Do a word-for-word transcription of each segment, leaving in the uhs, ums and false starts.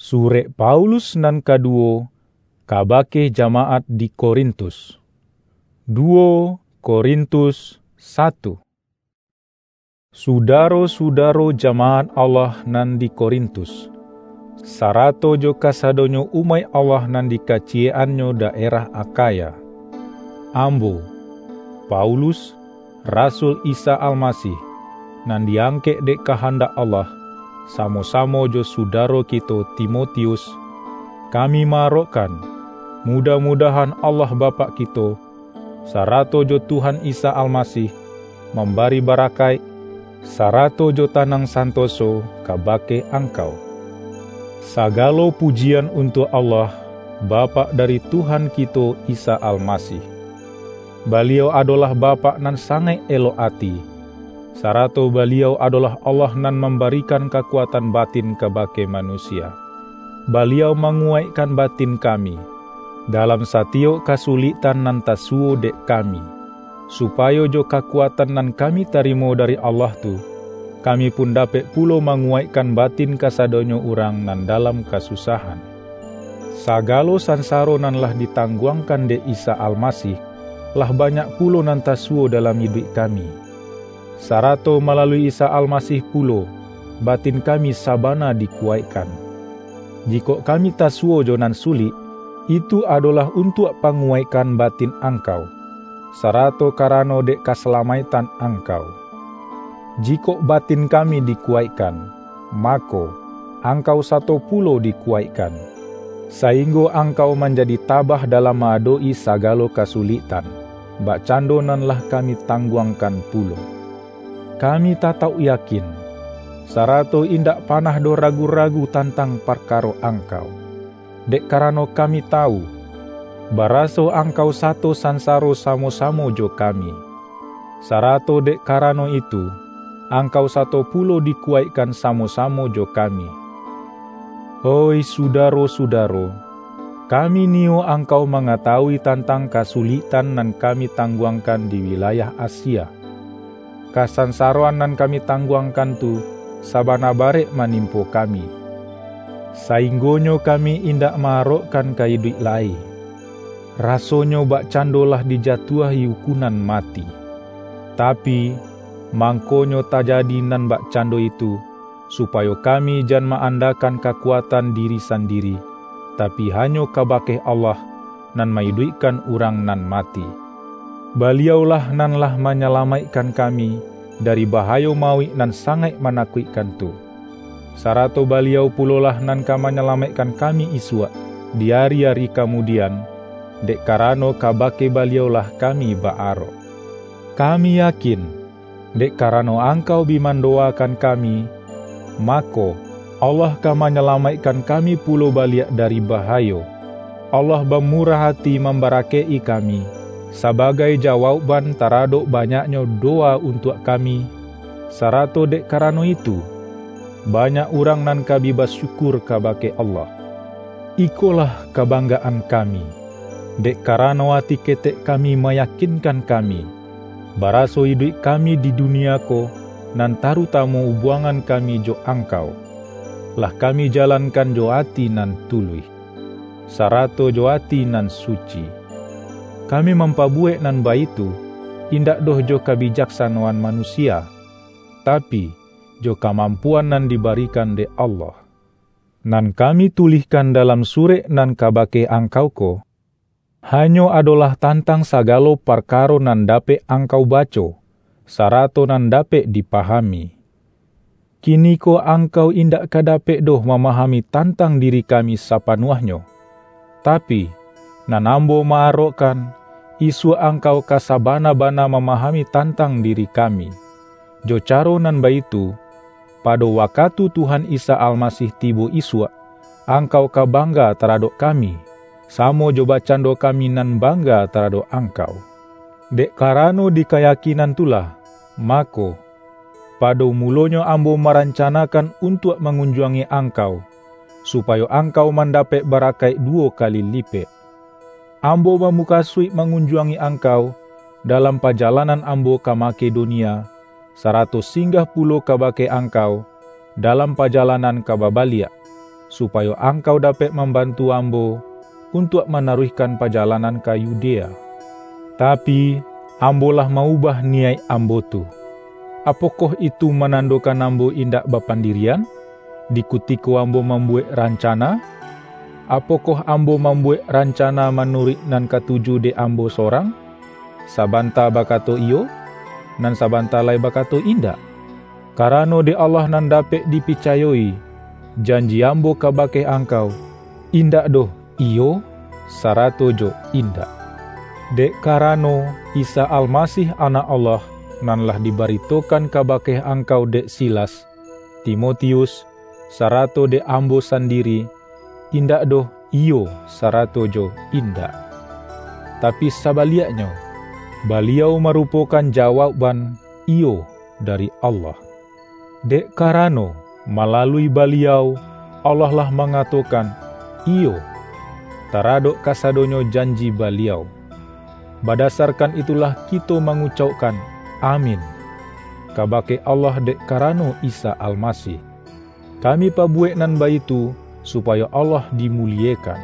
Surek Paulus nan kaduwo kabake jamaat di Korintus. Duwo Korintus satu. Sudaro-sudaro jamaat Allah nan di Korintus, sarato jo kasadonyo umaik Allah nan di kaciyek-annyo daerah Akhaya. Ambo, Paulus, rasul Isa Almasih, nan diangkek dek kahandak Allah, samo-samo jo sudaro kito Timotius, kami ma-arokkan, mudah-mudahan Allah Bapak kito, sarato jo Tuhan Isa Almasih, mambari barakaik, sarato jo tanang santoso kabake angkau. Sagalo pujian untuak Allah, Bapak dari Tuhan kito Isa Almasih. Baliau adolah Bapak nan sangaik elok ati, sarato Baliau adolah Allah nan mambarikan kakuatan batin kabake manusia. Baliau manguwaikkan batin kami, dalam satiyok kasuliktan nan tasuwo dek kami, supayo jo kakuatan nan kami tarimo dari Allah tu, kami pun dapek pulo manguwaikkan batin kasadonyo urang nan dalam kasusahan. Sagalo sansaro nan lah ditangguangkan dek Isa Almasih, lah banyak pulo nan tasuwo dalam iduik kami. Sarato malalui Isa Almasih pulo, batin kami sabana dikuwaikkan. Jikok kami tasuwo jo nan sulik, itu adolah untuak panguwaikkan batin angkau, sarato karano dek kasalamaiktan angkau. Jikok batin kami dikuwaikkan, mako, angkau sato pulo dikuwaikkan, sainggo angkau manjadi tabah dalam ma-adok-i sagalo kasuliktan, bakcando nan lah kami tangguangkan pulo. Kami tatauk yakin, sarato indak panah doh ragu-ragu tantang parkaro angkau, dek karano kami tawu, baraso angkau sato sansaro samo-samo jo kami. Sarato dek karano itu, angkau sato pulo dikuwaikkan samo-samo jo kami. Oih sudaro-sudaro, kami niyo angkau mangatawui tantang kasuliktan nan kami tangguangkan di wilayah Asia. Kasansaroan nan kami tangguangkan tu sabana barek manimpo kami, sainggonyo kami indak ma-arokkan ka iduik lai. Rasonyo bakcando lah dijatuahi ukunan mati. Tapi, mangkonyo tajadi nan bakcando itu, supayo kami jan ma-andakan kakuatan diri sandiri, tapi hanyo kabake Allah, nan ma-iduikkan urang nan mati. Baliau-lah nan lah manyalamaikkan kami dari bahayo mauik nan sangaik manakuikkan tu. Sarato Baliau pulolah nan ka manyalamaikkan kami isuak, di ari-ari kamudian, dek karano kabake Baliau-lah kami ba-arok. Kami yakin, dek karano angkau bi mandowakan kami, mako, Allah ka manyalamaikkan kami pulo baliak dari bahayo. Allah bamurah ati mambarakaik-i kami, sabagai jawaukban taradok banyaknyo dowa untuak kami, sarato dek karano itu, banyak urang nan ka bi basyukur kabake Allah. Ikolah kabanggaan kami, dek karano ati ketek kami mayakinkan kami, baraso iduik kami di dunia ko, nan tarutamo ubuangan kami jo angkau, lah kami jalankan jo ati nan tuluih, sarato jo ati nan suci. Kami mampabuwek nan baitu, indak doh jo kabijaksanoan manusia, tapi, jo kamampuan nan dibarikan dek Allah. Nan kami tulihkan dalam surek nan kabake angkau ko, hanyo adolah tantang sagalo parkaro nan dapek angkau baco, sarato nan dapek dipahami. Kiniko angkau indak ka dapek doh mamahami tantang diri kami sapanuahnyo. Tapi, nan ambo ma-arokkan, isuak angkau ka sabana-bana mamahami tantang diri kami. Jo caro nan baitu, pado wakatu Tuhan Isa Almasih tibo isuak, angkau ka bangga taradok kami, samo jo bakcando kami nan bangga taradok angkau. Dek karano di kayakinan tu lah, mako, pado mulonyo ambo marancanakan untuak mangunjuangi angkau, supayo angkau mandapek barakaik duwo kali lipek. Ambo bamukasuik mangunjuangi angkau dalam pajalanan ambo ka Makedonia, sarato singgah pulo kabake angkau dalam pajalanan ka babaliak, supayo angkau dapek mambantu ambo untuak manaruihkan pajalanan ka Yudea. Tapi, ambo lah maubah niyaik ambo tu. Apokoh itu manandokan ambo indak bapandirian, di kutiko ambo mambuwek rancana? Apokoh ambo mambuwek rancana manuruik nan katuju dek ambo sorang? Sabanta bakato iyo, nan sabanta lai bakato indak. Karano dek Allah nan dapek dipicayo-i, janji ambo kabake angkau, indak doh iyo, sarato jo indak. Dek karano Isa Almasih Anak Allah, nan lah dibaritokan kabake angkau dek Silas, Timotius, sarato dek ambo sandiri, indak doh iyo sarato jo indak. Tapi sabaliaknyo, Baliau marupokan jawaukban iyo dari Allah. Dek karano, malalui Baliau, Allah lah mangatokan iyo taradok kasadonyo janji Baliau. Badasarkan itulah kito mangucaukkan, "Amin," kabake Allah dek karano Isa Almasih. Kami pabuwek nan baitu, supayo Allah dimuliekan.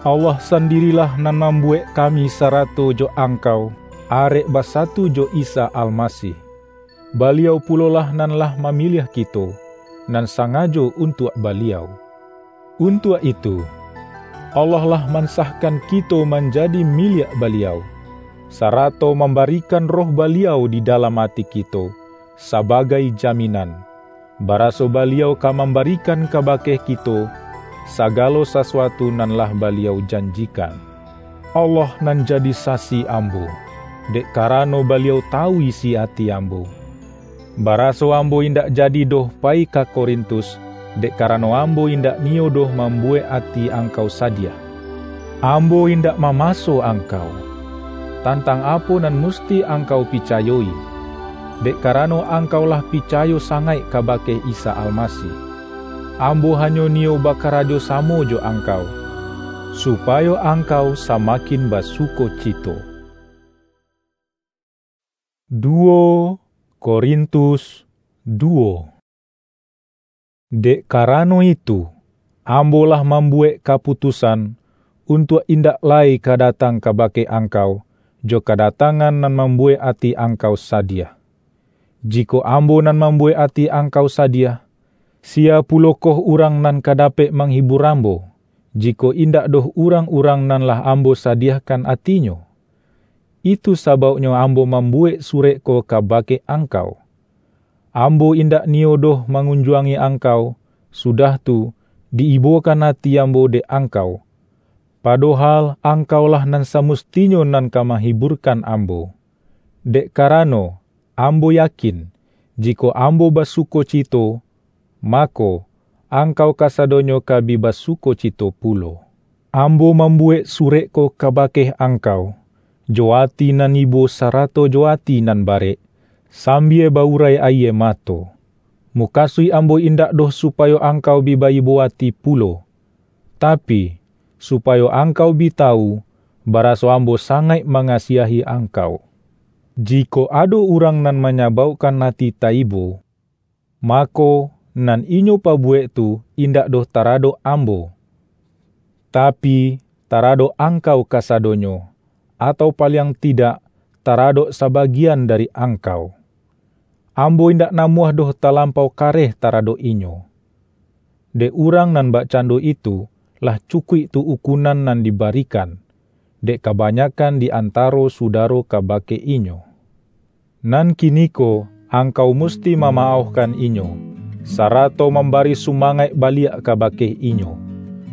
Allah sandirilah nan mambuwek kami sarato jo angkau arek basatu jo Isa Almasih. Baliau pulolah nan lah mamiliah kito, nan sangajo untuak Baliau. Untuak itu, Allah lah mansahkan kito manjadi miliak Baliau, sarato mambarikan Roh Baliau di dalam ati kito, sabagai jaminan, baraso Baliau ka mambarikan kabake kito sagalo sasuatu nan lah Baliau janjikan. Allah nan jadi sasi ambo, dek karano Baliau tawu isi ati ambo. Baraso ambo indak jadi doh pai ka Korintus, dek karano ambo indak niyo doh mambuwek ati angkau sadiah. Ambo indak mamaso angkau, tantang apo nan musti angkau picayo-i, dek karano angkau lah picayo sangaik kabake Isa Almasih. Ambo hanyo niyo bakarajo samo jo angkau, supayo angkau samakin basukocito. Duo Korintus duo. Dek karano itu, ambo lah mambuwek kaputusan untuak indak lai ka datang kabake angkau jo kadatangan nan mambuwek ati angkau sadiah. Jikok ambo nan mambuwek ati angkau sadiah, sia pulokoh urang nan ka dapek manghibur ambo, jikok indak doh urang-urang nan lah ambo sadiahkan atinyo? Itu sabauknyo ambo mambuwek surek ko kabake angkau. Ambo indak niyo doh mangunjuangi angkau, sudah tu, di-ibokan ati ambo dek angkau, padohal angkaulah nan samustinyo nan ka manghiburkan ambo. Dek karano, ambo yakin, jikok ambo basukocito, mako, angkau kasadonyo ka bi basukocito pulo. Ambo mambuwek surek ko kabake angkau, jo ati nan ibo sarato jo ati nan barek, sambia ba-urai ayie mato. Mukasuik ambo indak doh supayo angkau bi ba-ibo ati pulo, tapi, supayo angkau bi tawu, baraso ambo sangaik mangasiahi angkau. Jikok ado urang nan manyabaukkan ati taibo, mako, nan inyo pabuwek tu indak doh taradok ambo, tapi, taradok angkau kasadonyo, atau paliang tidak, taradok sabagian dari angkau. Ambo indak namuah doh talampau kareh taradok inyo. Dek urang nan bakcando itu, lah cukuik tu ukunan nan dibarikan, dek kabanyakan di antaro sudaro kabake inyo. Nan kiniko, angkau musti mamaohkan inyo, sarato mambari sumangaik baliak kabake inyo,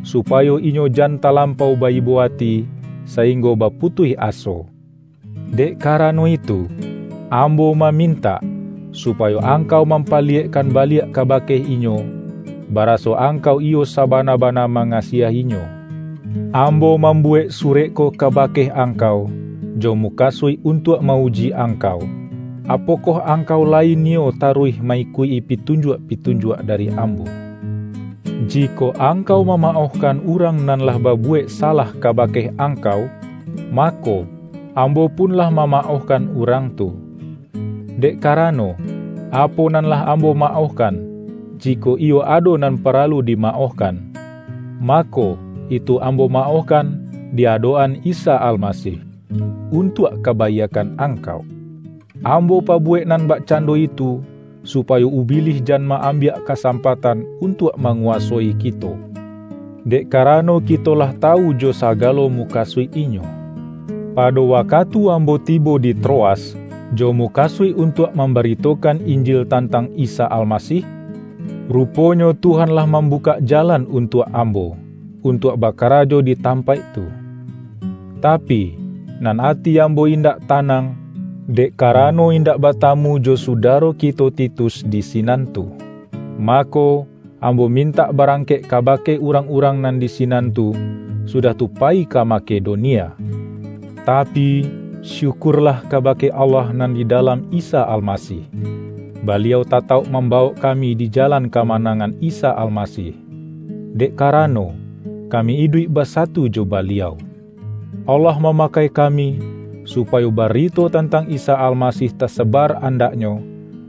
supayo inyo jan talampau ba-ibo ati, sainggo baputuih aso. Dek karano itu, ambo mamintak, supayo angkau mampaliyekkan baliak kabake inyo, baraso angkau iyo sabana-bana mangasiahinyo. Ambo mambuwek surek ko kabake angkau, jo mukasuik untuak ma-uji angkau, apokoh angkau lai niyo taruih ma-ikuik-i pitunjuak-pitunjuak dari ambo. Jikok angkau mamaohkan urang nan lah babuwek salah kabake angkau, mako, ambo pun lah mamaohkan urang tu. Dek karano, apo nan lah ambo maohkan, jikok iyo ado nan paralu dimaohkan, mako, itu ambo maohkan di adok-an Isa Almasih, untuak kabaiakkan angkau. Ambo pabuwek nan bakcando itu, supayo Ubilih jan ma-ambiak kasampatan untuak manguwasoi kito. Dek karano kito lah tawu jo sagalo mukasuik inyo. Pado wakatu ambo tibo di Troas, jo mukasuik untuak mambaritokan Injil tantang Isa Almasih, ruponyo Tuhan lah mambukak jalan untuak ambo, untuak bakarajo di tampaik tu. Tapi, nan ati ambo indak tanang, dek karano indak batamu jo sudaro kito Titus di sinan tu. Mako, ambo mintak barangkek kabake urang-urang nan di sinan tu, sudah tu payi ka Makedonia. Tapi, syukurlah kabake Allah nan di dalam Isa Almasih. Baliau tatauk mambawok kami di jalan kamanangan Isa Almasih, dek karano, kami iduik basatu jo Baliau. Allah mamakai kami, supayo barito tantang Isa Almasih tasaba andaknyo,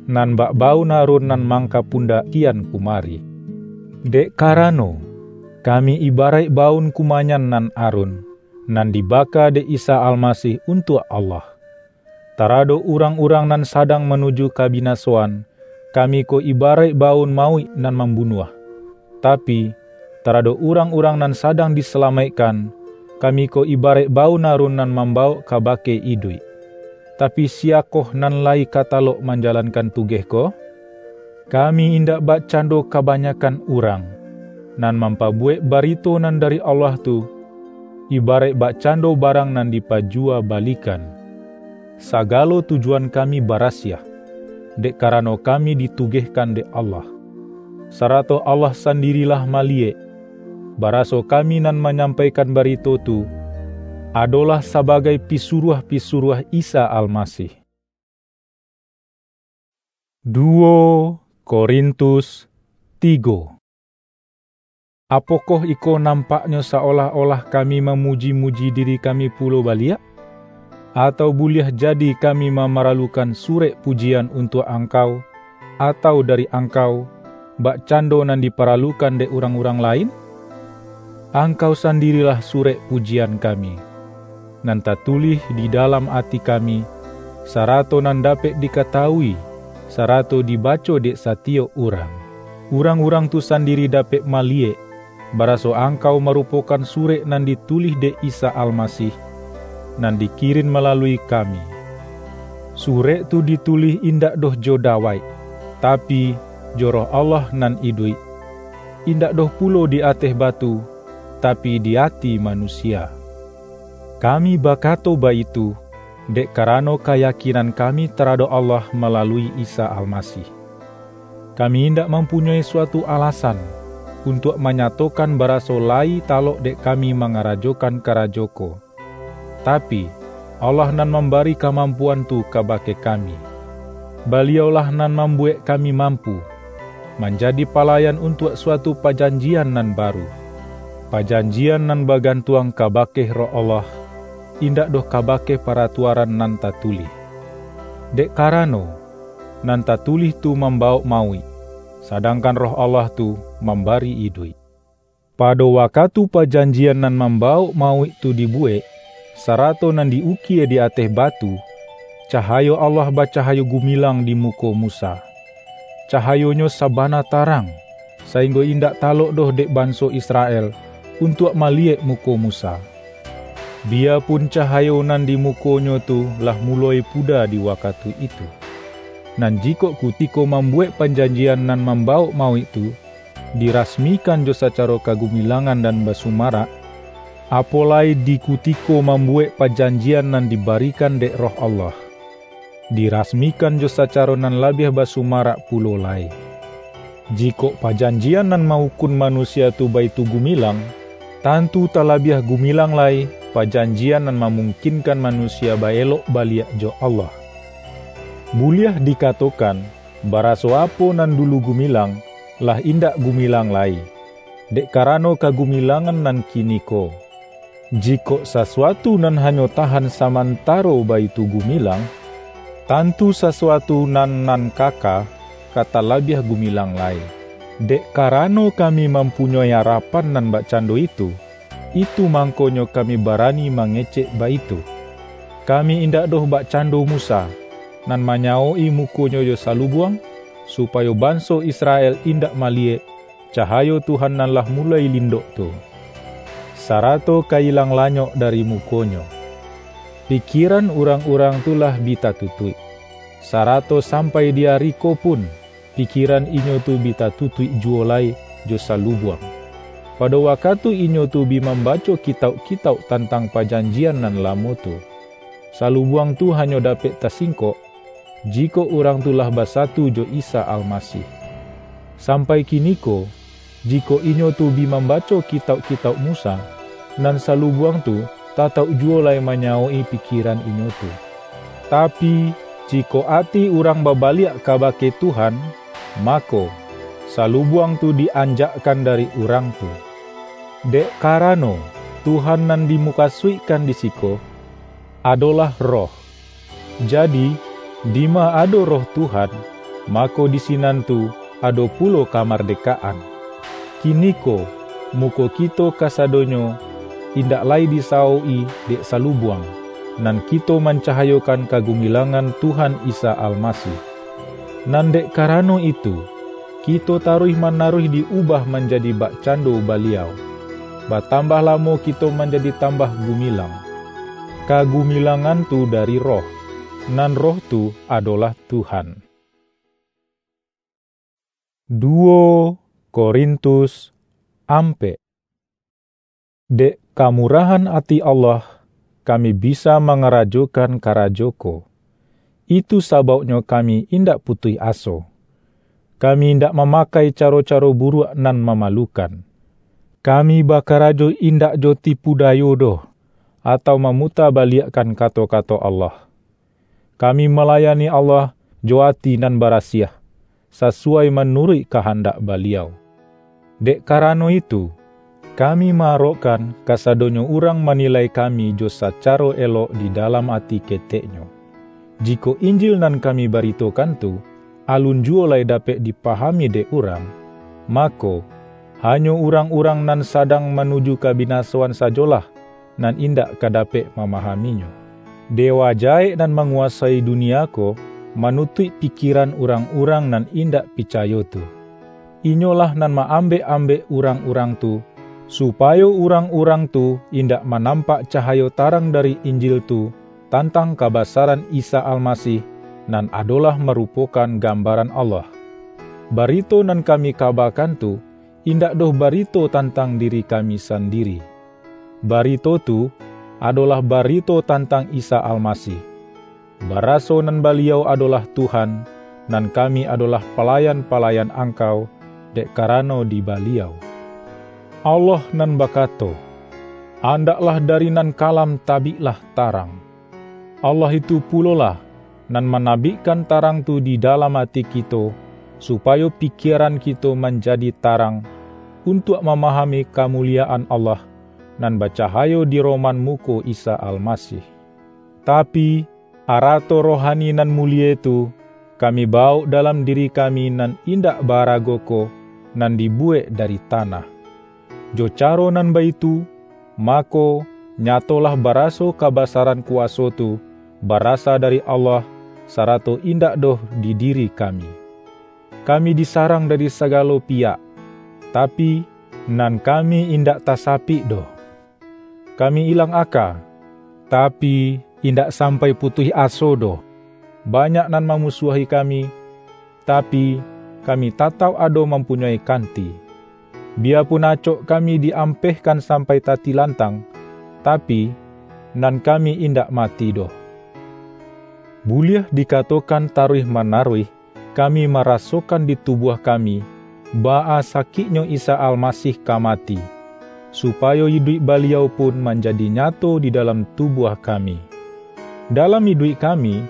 nan bak baun arun nan mangkapundak kian kumari. Dek karano, kami ibaraik baun kumanyan nan arun, nan dibaka dek Isa Almasih untuak Allah. Taradok urang-urang nan sadang manuju kabinasoan, kami ko ibaraik baun mauik nan mambunuah. Tapi, taradok urang-urang nan sadang disalamaikkan, kami ko ibaraik baun arun nan mambawok kabake iduik. Tapi, siyakoh nan lai ka talok manjalankan tugeh ko? Kami indak bakcando kabanyakan urang, nan mampabuwek barito nan dari Allah tu, ibaraik bakcando barang nan dipajuwa balikan. Sagalo tujuan kami barasiah, dek karano kami ditugehkan dek Allah. Sarato Allah sandirilah maliyek, baraso kami nan manyampaikan barito tu, adolah sabagai pisuruah-pisuruah Isa Almasih. Duo Korintus tigo. Apokoh iko nampaknyo saolah-olah kami mamuji-muji diri kami pulo baliak? Atau buliah jadi kami mamaralukan surek pujian untuak angkau, atau dari angkau, bakcando nan diparalukan dek urang-urang lain? Angkau sandirilah surek pujian kami, nan tatulih di dalam ati kami, sarato nan dapek dikatawui, sarato dibaco dek satiyok urang. Urang-urang tu sandiri dapek maliyek, baraso angkau marupokan surek nan ditulih dek Isa Almasih, nan dikirin malalui kami. Surek tu ditulih indak doh jo dawaik, tapi, jo Roh Allah nan iduik, indak doh pulo di ateh batu, tapi di ati manusia. Kami bakato baitu, dek karano kayakinan kami taradok Allah malalui Isa Almasih. Kami indak mampunyoi suatu alasan untuak manyatokan baraso lai talok dek kami mangarajokan karajo ko. Tapi, Allah nan mambari kamampuan tu kabake kami. Baliau-lah nan mambuwek kami mampu, manjadi palayan untuak suatu pajanjian nan baru, pajanjian nan bagantuang kabake Roh Allah, indak doh kabake paratuaran nan tatulih. Dek karano, nan tatulih tu mambawok mauik, sadangkan Roh Allah tu mambari iduik. Pado wakatu pajanjian nan mambawok mauik tu dibuwek, sarato nan di-ukie di ateh batu, cahayo Allah bacahayo gumilang di muko Musa. Cahayonyo sabana tarang, sainggo indak talok doh dek banso Israel untuak maliyek muko Musa. Biyapun cahayo nan di mukonyo tu lah muloi puda di wakatu itu, nan jikok kutiko mambuwek pajanjian nan mambawok mauik tu, dirasmikan jo sacaro kagumilangan nan basumarak, apo lai di kutiko mambuwek pajanjian nan dibarikan dek Roh Allah, dirasmikan jo sacaro nan labiah basumarak pulo lai. Jikok pajanjian nan maukun manusia tu baitu gumilang, tantu talabiah gumilang lai pajanjian nan mamungkinkan manusia ba-elok baliak jo Allah. Buliah dikatokan, baraso apo nan dulu gumilang, lah indak gumilang lai, dek karano kagumilangan nan kiniko. Jikok sasuatu nan hanyo tahan samantaro baitu gumilang, tantu sasuatu nan, nan kaka ka talabiah gumilang lai. Dek karano kami mampunyoi arapan nan bakcando itu, itu mangkonyo kami barani mangecek baitu. Kami indak doh bakcando Musa, nan manyawok-i mukonyo jo salubuang, supayo banso Israel indak maliyek cahayo Tuhan nan lah muloi lindok tu, sarato ka ilang lanyok dari mukonyo. Pikieran urang-urang tu lah bi tatutuik, sarato sampai di ari ko pun, pikieran inyo tu bi tatutuik juwo lai jo salubuang, pado wakatu inyo tu bi mambaco kitauk-kitauk tantang pajanjian nan lamo tu. Salubuang tu hanyo dapek tasingkok, jikok urang tu lah basatu jo Isa Almasih. Sampai kiniko, jikok inyo tu bi mambaco kitauk-kitauk Musa, nan salubuang tu tatauk juwo lai manyawok-i pikieran inyo tu. Tapi, jikok ati urang babaliak kabake Tuhan, mako, salubuang tu di-anjakkan dari urang tu. Dek karano, Tuhan nan dimukasuikkan di siko, adolah Roh. Jadi, dima ado Roh Tuhan, mako di sinan tu ado pulo kamardekaan. Kiniko, muko kito kasadonyo indak lai disawok-i dek salubuang, nan kito mancahayokan kagumilangan Tuhan Isa Almasih. Nan dek karano itu, kito taruih-manaruih di-ubah manjadi bakcando Baliau. Batambah lamo kito manjadi tambah gumilang. Kagumilangan tu dari Roh, nan Roh tu adolah Tuhan. Duo Korintus ampek. Dek kamurahan ati Allah, kami bisa mangarajokan karajo ko. Itu sabauknyo kami indak putuih aso. Kami indak mamakai caro-caro buruak nan mamalukan. Kami bakarajo indak jo tipu dayo doh, atau mamutabaliakkan kato-kato Allah. Kami malayani Allah jo ati nan barasiah, sasuai manuruik kahandak Baliau. Dek karano itu, kami ma-arokkan kasadonyo urang manilai kami jo sacaro elok di dalam ati keteknyo. Jikok Injil nan kami baritokan tu, alun juwo lai dapek dipahami dek urang, mako, hanyo urang-urang nan sadang manuju kabinasoan sajolah nan indak ka dapek mamahaminyo. Dewa jahek nan manguwasoi dunia ko manutuik pikieran urang-urang nan indak picayo tu. Inyolah nan ma-ambek-ambek urang-urang tu, supayo urang-urang tu indak manampak cahayo tarang dari Injil tu tantang kabasaran Isa Almasih, nan adolah marupokan gambaran Allah. Barito nan kami kabakan tu, indak doh barito tantang diri kami sandiri. Barito tu adolah barito tantang Isa Almasih. Baraso nan Baliau adolah Tuhan, nan kami adolah palayan-palayan angkau, dek karano di Baliau. Allah nan bakato, "Andaklah dari nan kalam tabiklah tarang." Allah itu pulolah nan manabikkan tarang tu di dalam ati kito, supayo pikieran kito manjadi tarang, untuak mamahami kamuliyaan Allah, nan bacahayo di roman muko Isa Almasih. Tapi, arato rohani nan mulie tu, kami bawok dalam diri kami nan indak ba-arago ko, nan dibuwek dari tanah. Jo caro nan baitu, mako, nyatolah baraso kabasaran kuwaso tu barasa dari Allah, sarato indak doh di diri kami. Kami disarang dari sagalo piyak, tapi, nan kami indak tasapik doh. Kami ilang aka, tapi, indak sampai putuih aso doh. Banyak nan mamusuahi kami, tapi, kami tatauk ado mampunyoi kanti. Biyapun acok kami di-ampehkan sampai tatilantang, tapi, nan kami indak mati doh. Buliah dikatokan taruih-manaruih, kami marasokan di tubuah kami, baa sakiknyo Isa Almasih ka mati, supayo iduik Baliau pun manjadi nyato di dalam tubuah kami. Dalam iduik kami,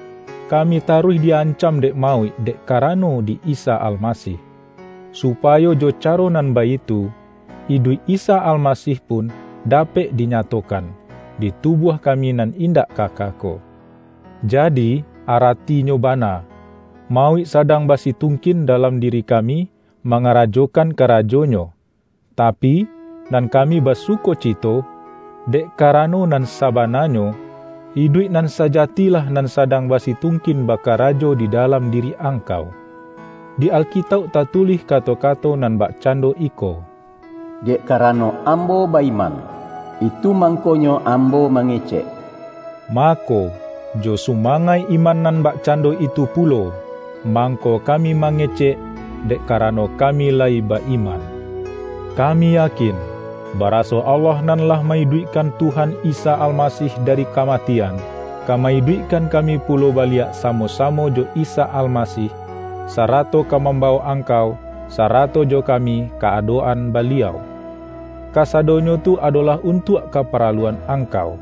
kami taruih di-ancam dek mauik dek karano di Isa Almasih, supayo jo caro nan baitu, iduik Isa Almasih pun dapek dinyatokan di tubuah kami nan indak kaka ko. Jadi, aratinyo bana, mauik sadang basitungkin dalam diri kami, mangarajokan karajonyo, tapi, nan kami basukocito, dek karano nan sabananyo, iduik nan sajatilah nan sadang basitungkin bakarajo di dalam diri angkau. Di Alkitauk tatulih kato-kato nan bakcando iko, "Dek karano ambo ba-iman, itu mangkonyo ambo mangecek." Mako, jo sumangaik iman nan bakcando itu pulo, mangko kami mangecek, dek karano kami lai ba-iman. Kami yakin, baraso Allah nan lah maiduikkan Tuhan Isa Almasih dari kamatian, ka maiduikkan kami pulo baliak samo-samo jo Isa Almasih, sarato ka mambawok angkau, sarato jo kami, ka adok-an Baliau. Kasadonyo tu adolah untuak kaparaluan angkau.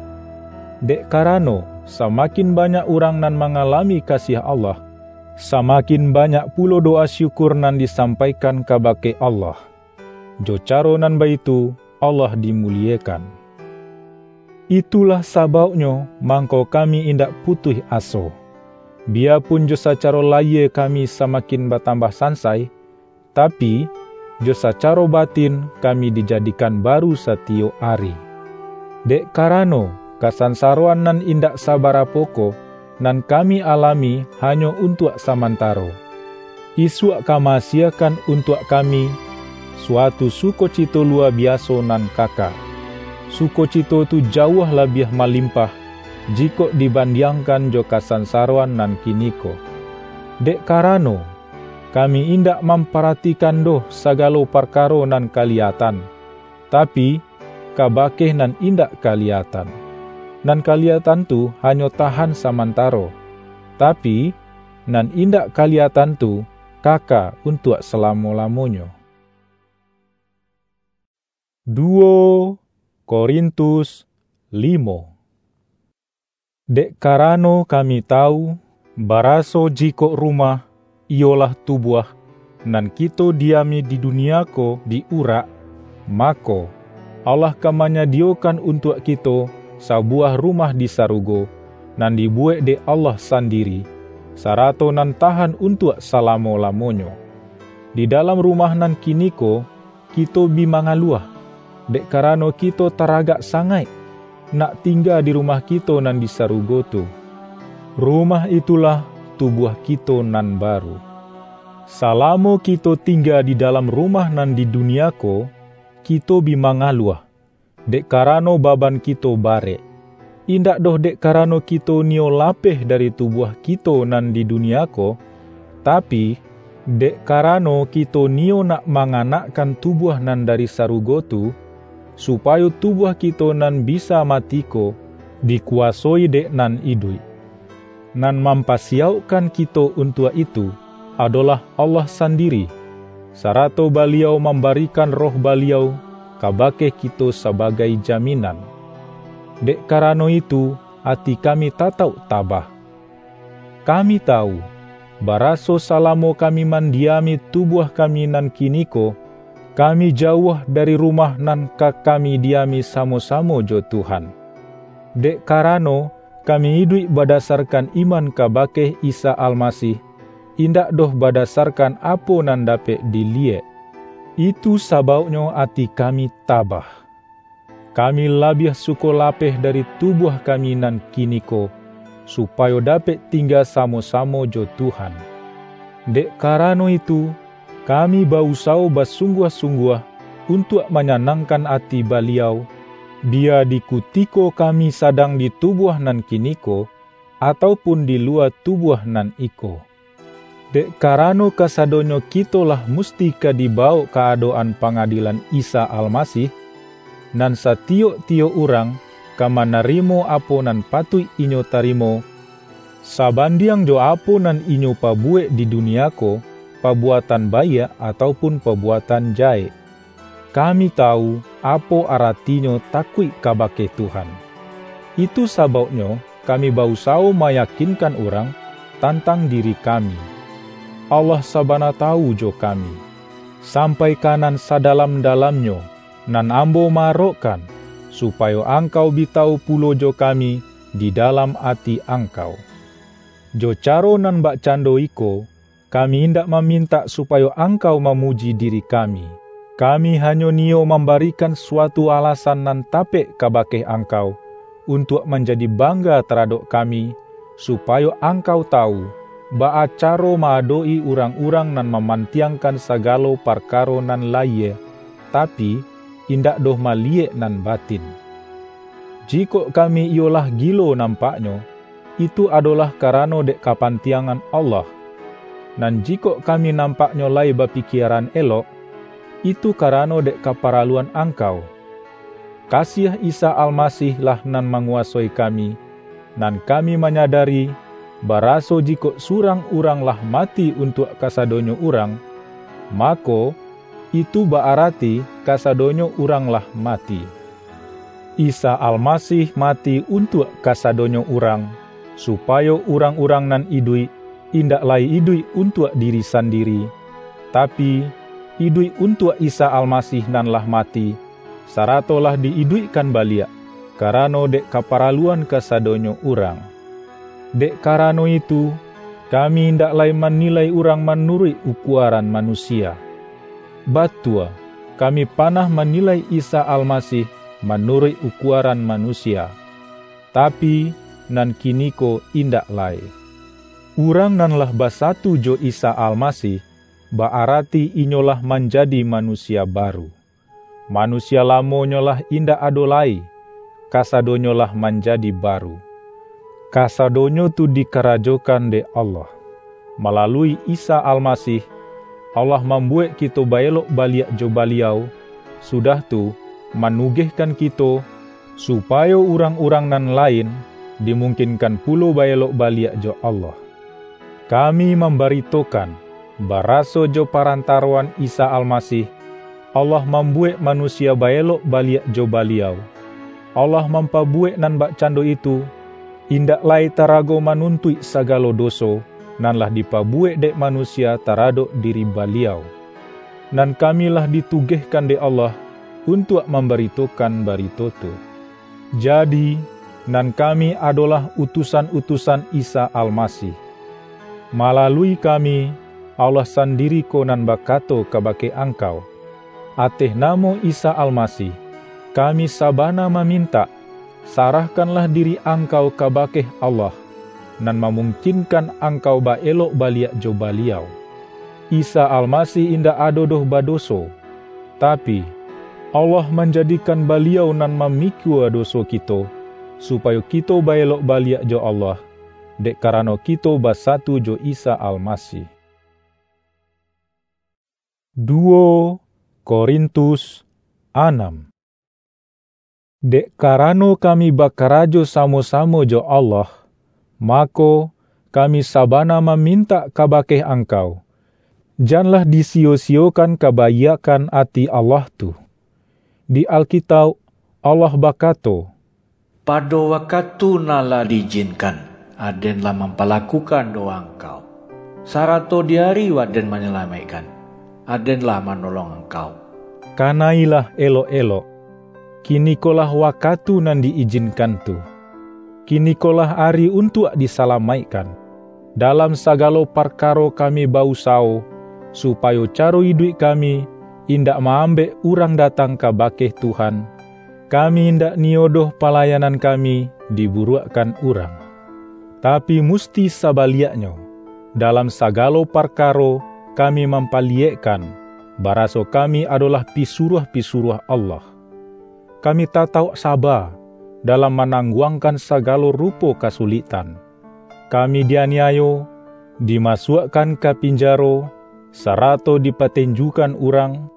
Dek karano, samakin banyak urang nan mangalami kasiah Allah, samakin banyak pulo dowa syukur nan disampaikan kabake Allah. Jo caro nan baitu, Allah dimuliekan. Itulah sabauknyo mangko kami indak putuih aso. Biyapun jo sacaro layie kami samakin batambah sansai, tapi, jo sacaro batin kami dijadikan baru satiyok ari. Dek karano, kasansaroan nan indak sabarapo ko, nan kami alami hanyo untuak samantaro. Isuak ka ma-asiakan untuak kami, suatu sukocito luwa biaso nan kaka. Sukocito tu jauah labiah malimpah, jikok dibandiangkan jo kasansaroan nan kiniko. Dek karano, kami indak mamparatikan doh sagalo parkaro nan kaliyatan, tapi, kabake nan indak kaliyatan. Nan kaliyatan tu hanyo tahan samantaro, tapi, nan indak kaliyatan tu kaka untuak salamo-lamonyo. Duo Korintus limo. Dek karano kami tawu, baraso jikok rumah, iyolah tubuah, nan kito diami di dunia ko di-urak, mako, Allah ka manyadiyokan untuak kito sabuwah rumah di sarugo, nan dibuwek dek Allah sandiri, sarato nan tahan untuak salamo-lamonyo. Di dalam rumah nan kiniko, kito bi mangaluah, dek karano kito taragak sangaik, nak tingga di rumah kito nan di sarugo tu. Rumah itulah tubuah kito nan baru. Salamo kito tingga di dalam rumah nan di dunia ko, kito bi mangaluah, dek karano baban kito barek. Indak doh dek karano kito niyo lapeh dari tubuah kito nan di dunia ko, tapi, dek karano kito niyo nak manganakkan tubuah nan dari sarugo tu, supayo tubuah kito nan bisa mati ko dikuwasoi dek nan iduik. Nan mampasiyaukkan kito untuak itu, adolah Allah sandiri, sarato Baliau mambarikan Roh Baliau kabake kito sabagai jaminan. Dek karano itu, ati kami tatauk tabah. Kami tawu, baraso salamo kami mandiami tubuah kami nan kiniko, kami jauah dari rumah nan ka kami diami samo-samo jo Tuhan. Dek karano, kami iduik badasarkan iman kabake Isa Almasih, indak doh badasarkan apo nan dapek diliyek. Itu sabauknyo ati kami tabah. Kami labiah suko lapeh dari tubuah kami nan kiniko, supayo dapek tingga samo-samo jo Tuhan. Dek karano itu, kami ba-usawo basungguah-sungguah untuak manyanangkan ati Baliau, biya di kutiko kami sadang di tubuah nan kiniko, atau pun di luwa tubuah nan iko. Dek karano kasadonyo kito lah musti ka dibawok ka adok-an pangadilan Isa Almasih, nan satiyok-tiyok urang ka manarimo apo nan patuik inyo tarimo, sabandiang jo apo nan inyo pabuwek di dunia ko, pabuatan baiak atau pun pabuatan jahek. Kami tawu, apo aratinyo takuik kabake Tuhan. Itu sabauknyo kami ba-usawo mayakinkan urang tantang diri kami. Allah sabana tawu jo kami, sampai ka nan sadalam-dalamnyo, nan ambo ma-arokkan, supayo angkau bi tawu pulo jo kami di dalam ati angkau. Jo caro nan bakcando iko, kami indak mamintak supayo angkau mamuji diri kami. Kami hanyo niyo mambarikan suatu alasan nan tapek kabake angkau, untuak manjadi bangga taradok kami, supayo angkau tawu, baa caro ma-adok-i urang-urang nan mamantiangkan sagalo parkaro nan layie, tapi, indak doh maliyek nan batin. Jikok kami iyolah gilo nampaknyo, itu adolah karano dek kapantiangan Allah. Nan jikok kami nampaknyo lai bapikieran elok, itu karano dek kaparaluan angkau. Kasiah Isa Almasih lah nan manguwasoi kami, nan kami manyadari, baraso jikok surang urang lah mati untuak kasadonyo urang, mako, itu ba-arati kasadonyo urang lah mati. Isa Almasih mati untuak kasadonyo urang, supayo urang-urang nan iduik, indak lai iduik untuak diri sandiri, tapi, iduik untuak Isa Almasih nan lah mati, sarato lah di-iduikkan baliak, karano dek kaparaluan kasadonyo urang. Dek karano itu, kami indak lai manilai urang manuruik ukuaran manusia. Batua, kami panah manilai Isa Almasih manuruik ukuaran manusia, tapi, nan kiniko indak lai. Urang nan lah basatu jo Isa Almasih, ba-arati inyo lah manjadi manusia baru. Manusia lamonyo lah indak ado lai, kasadonyo lah manjadi baru. Kasadonyo tu dikarajokan dek Allah. Malalui Isa Almasih, Allah mambuwek kito ba-elok baliak jo Baliau, sudah tu, manugehkan kito, supayo urang-urang nan lain dimungkinkan pulo ba-elok baliak jo Allah. Kami mambaritokan, baraso jo parantaroan Isa Almasih, Allah mambuwek manusia ba-elok baliak jo Baliau. Allah mampabuwek nan bakcando itu, indak lai tarago manuntuik sagalo doso nan lah dipabuwek dek manusia taradok diri Baliau. Nan kami lah ditugehkan dek Allah untuak mambaritokan barito tu. Jadi, nan kami adolah utusan-utusan Isa Almasih. Malalui kami, Allah sandiri ko nan bakato kabake angkau, ateh namo Isa Almasih, kami sabana mamintak, sarahkanlah diri angkau kabake Allah, nan mamungkinkan angkau ba-elok baliak jo Baliau. Isa Almasih indak ado doh badoso, tapi, Allah manjadikan Baliau nan mamikua doso kito, supayo kito ba-elok baliak jo Allah, dek karano kito basatu jo Isa Almasih. Duo Korintus anam. Dek karano kami bakarajo samo-samo jo Allah, mako, kami sabana mamintak kabake angkau, janlah disiyo-siyokan kabaiakkan ati Allah tu. Di Alkitauk, Allah bakato, "Pado wakatu nan lah di-ijinkan, Aden lah mampalakukan dowa angkau, sarato di ari Aden manyalamaikkan, Aden lah manolong angkau." Kanailah elok-elok. Kinikolah wakatu nan di-ijinkan tu. Kinikolah ari untuak disalamaikkan. Dalam sagalo parkaro kami ba-usawo, supayo caro iduik kami indak ma-ambek urang datang kabake Tuhan. Kami indak niyo doh palayanan kami diburuakkan urang. Tapi musti sabaliaknyo, dalam sagalo parkaro kami mampaliyekkan, baraso kami adolah pisuruah-pisuruah Allah. Kami tatauk saba dalam manangguangkan sagalo rupo kasuliktan. Kami dianiayo, dimasuakkan ka pinjaro, sarato dipatenjukan urang.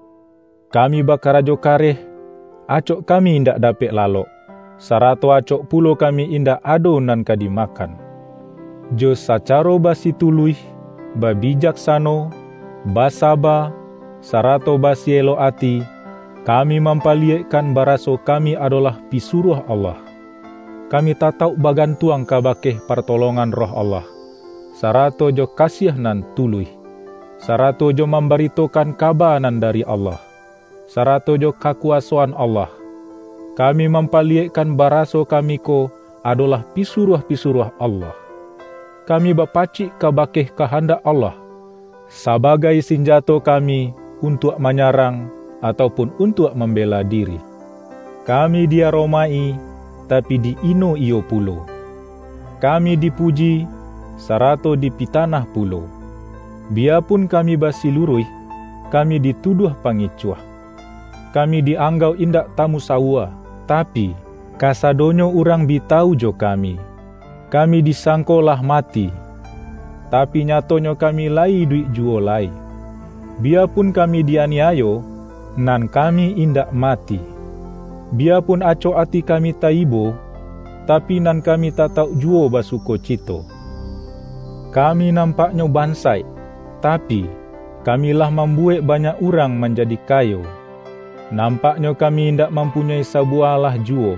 Kami bakarajo kareh, acok kami indak dapek lalok, sarato acok pulo kami indak ado nan ka dimakan. Jo sacaro basituluih, babijaksano, basaba, sarato basielok ati, kami mampaliyekkan baraso kami adolah pisuruah Allah. Kami tatauk bagantuang kabake partolongan Roh Allah, sarato jo kasiah nan tuluih, sarato jo mambaritokan kaba nan dari Allah, sarato jo kakuwasoan Allah. Kami mampaliyekkan baraso kami ko adolah pisuruah-pisuruah Allah. Kami bapacik kabake kahandak Allah, sabagai sinjato kami untuak manyarang, atau pun untuak mambela diri. Kami di-aromaik-i, tapi di-ino-iyo pulo. Kami dipuji, sarato dipitanah pulo. Biyapun kami basiluruih, kami dituduah pangicuah. Kami di-anggauk indak tamusawua, tapi, kasadonyo urang bi tawu jo kami. Kami disangko lah mati, tapi nyatonyo kami lai iduik juwo lai. Biyapun kami di-aniayo, nan kami indak mati. Biyapun acok ati kami taibo, tapi nan kami tatauk juwo basukocito. Kami nampaknyo bansaik, tapi, kami lah mambuwek banyak urang manjadi kayo. Nampaknyo kami indak mampunyoi sabuwah alah juwo,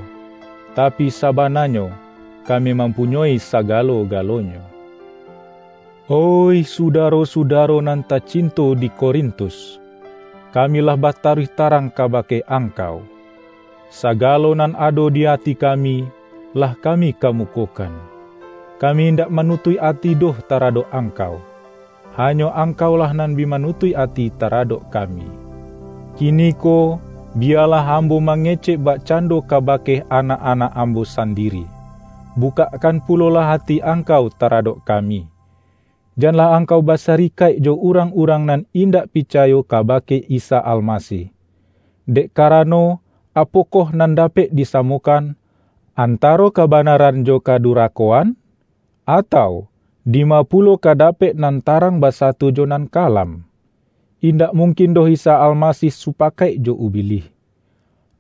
tapi sabananyo, kami mampunyoi sagalo-galonyo. Oih sudaro-sudaro nan tacinto di Korintus, kami lah bataruih tarang kabake angkau. Sagalo nan ado di ati kami, lah kami kamukokan. Kami indak manutuik ati doh taradok angkau. Hanyo angkaulah nan bi manutuik ati taradok kami. Kiniko, biyalah ambo mangecek bakcando kabake anak-anak ambo sandiri. Bukakkan pulolah ati angkau taradok kami. Janlah angkau basarikaik jo urang-urang nan indak picayo kabake Isa Almasih. Dek karano, apokoh nan dapek disamokan, antaro kabanaran jo kadurakoan? Atau, dima pulo ka dapek nan tarang basato jo nan kalam? Indak mungkin doh Isa Almasih supakaik jo Ubilih.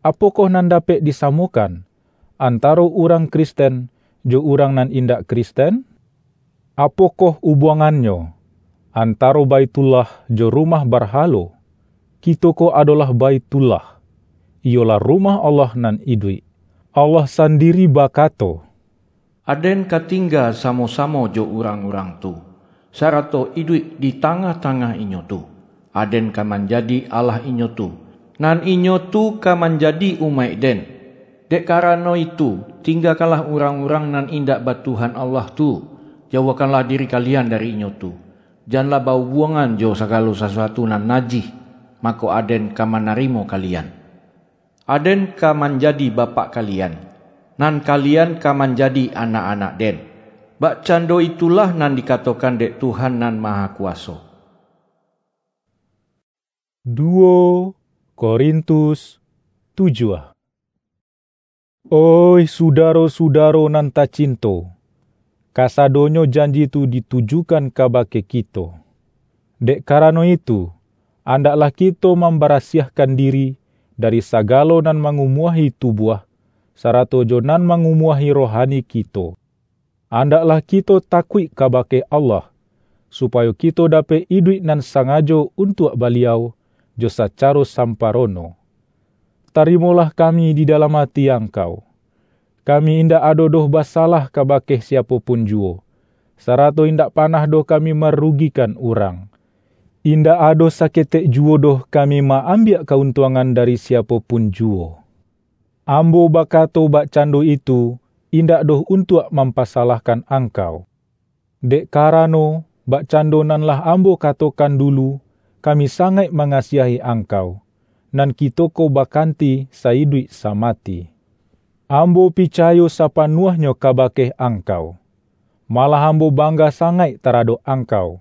Apokoh nan dapek disamokan, antaro urang Kristen jo urang nan indak Kristen? Apokoh ubuangannyo, antaro Baitullah jo rumah barhalo? Kito ko adolah Baitullah, iyolah rumah Allah nan iduik. Allah sandiri bakato, "Aden ka tingga samo-samo jo urang-urang tu, sarato iduik di tangah-tangah inyo tu. Aden ka manjadi Allah inyo tu, nan inyo tu ka manjadi umaik-Den. Dek karano itu, tinggakanlah urang-urang nan indak batuhan Allah tu, jauahkanlah diri kalian dari inyo tu. Janlah ba-ubuangan jo sagalo sasuatu nan najih, mako Aden ka manarimo kalian. Aden ka manjadi Bapak kalian, nan kalian ka manjadi anak-anak-Den. Bakcando itulah nan dikatokan dek Tuhan Nan Mahakuwaso." Duo Korintus tujuah. Oih sudaro-sudaro nan tacinto, kasadonyo janji tu ditujukan kabake kito. Dek karano itu, andaklah kito mambarasiahkan diri dari sagalo nan mangumuahi tubuah, sarato jo nan mangumuahi rohani kito. Andaklah kito takuik kabake Allah, supayo kito dapek iduik nan sangajo untuak Baliau jo sacaro samparono. Tarimolah kami di dalam ati angkau. Kami indak ado doh basalah kabake siapo pun juwo, sarato indak panah doh kami marugikan urang. Indak ado saketek juwo doh kami ma-ambiak kauntuangan dari siapo pun juwo. Ambo bakato bakcando itu, indak doh untuak mampasalahkan angkau. Dek karano, bakcando nan lah ambo katokan dulu, kami sangaik mangasiahi angkau, nan kito ko bakanti saiduik samati. Ambo picayo sapanuahnyo kabake angkau. Malah ambo bangga sangaik taradok angkau.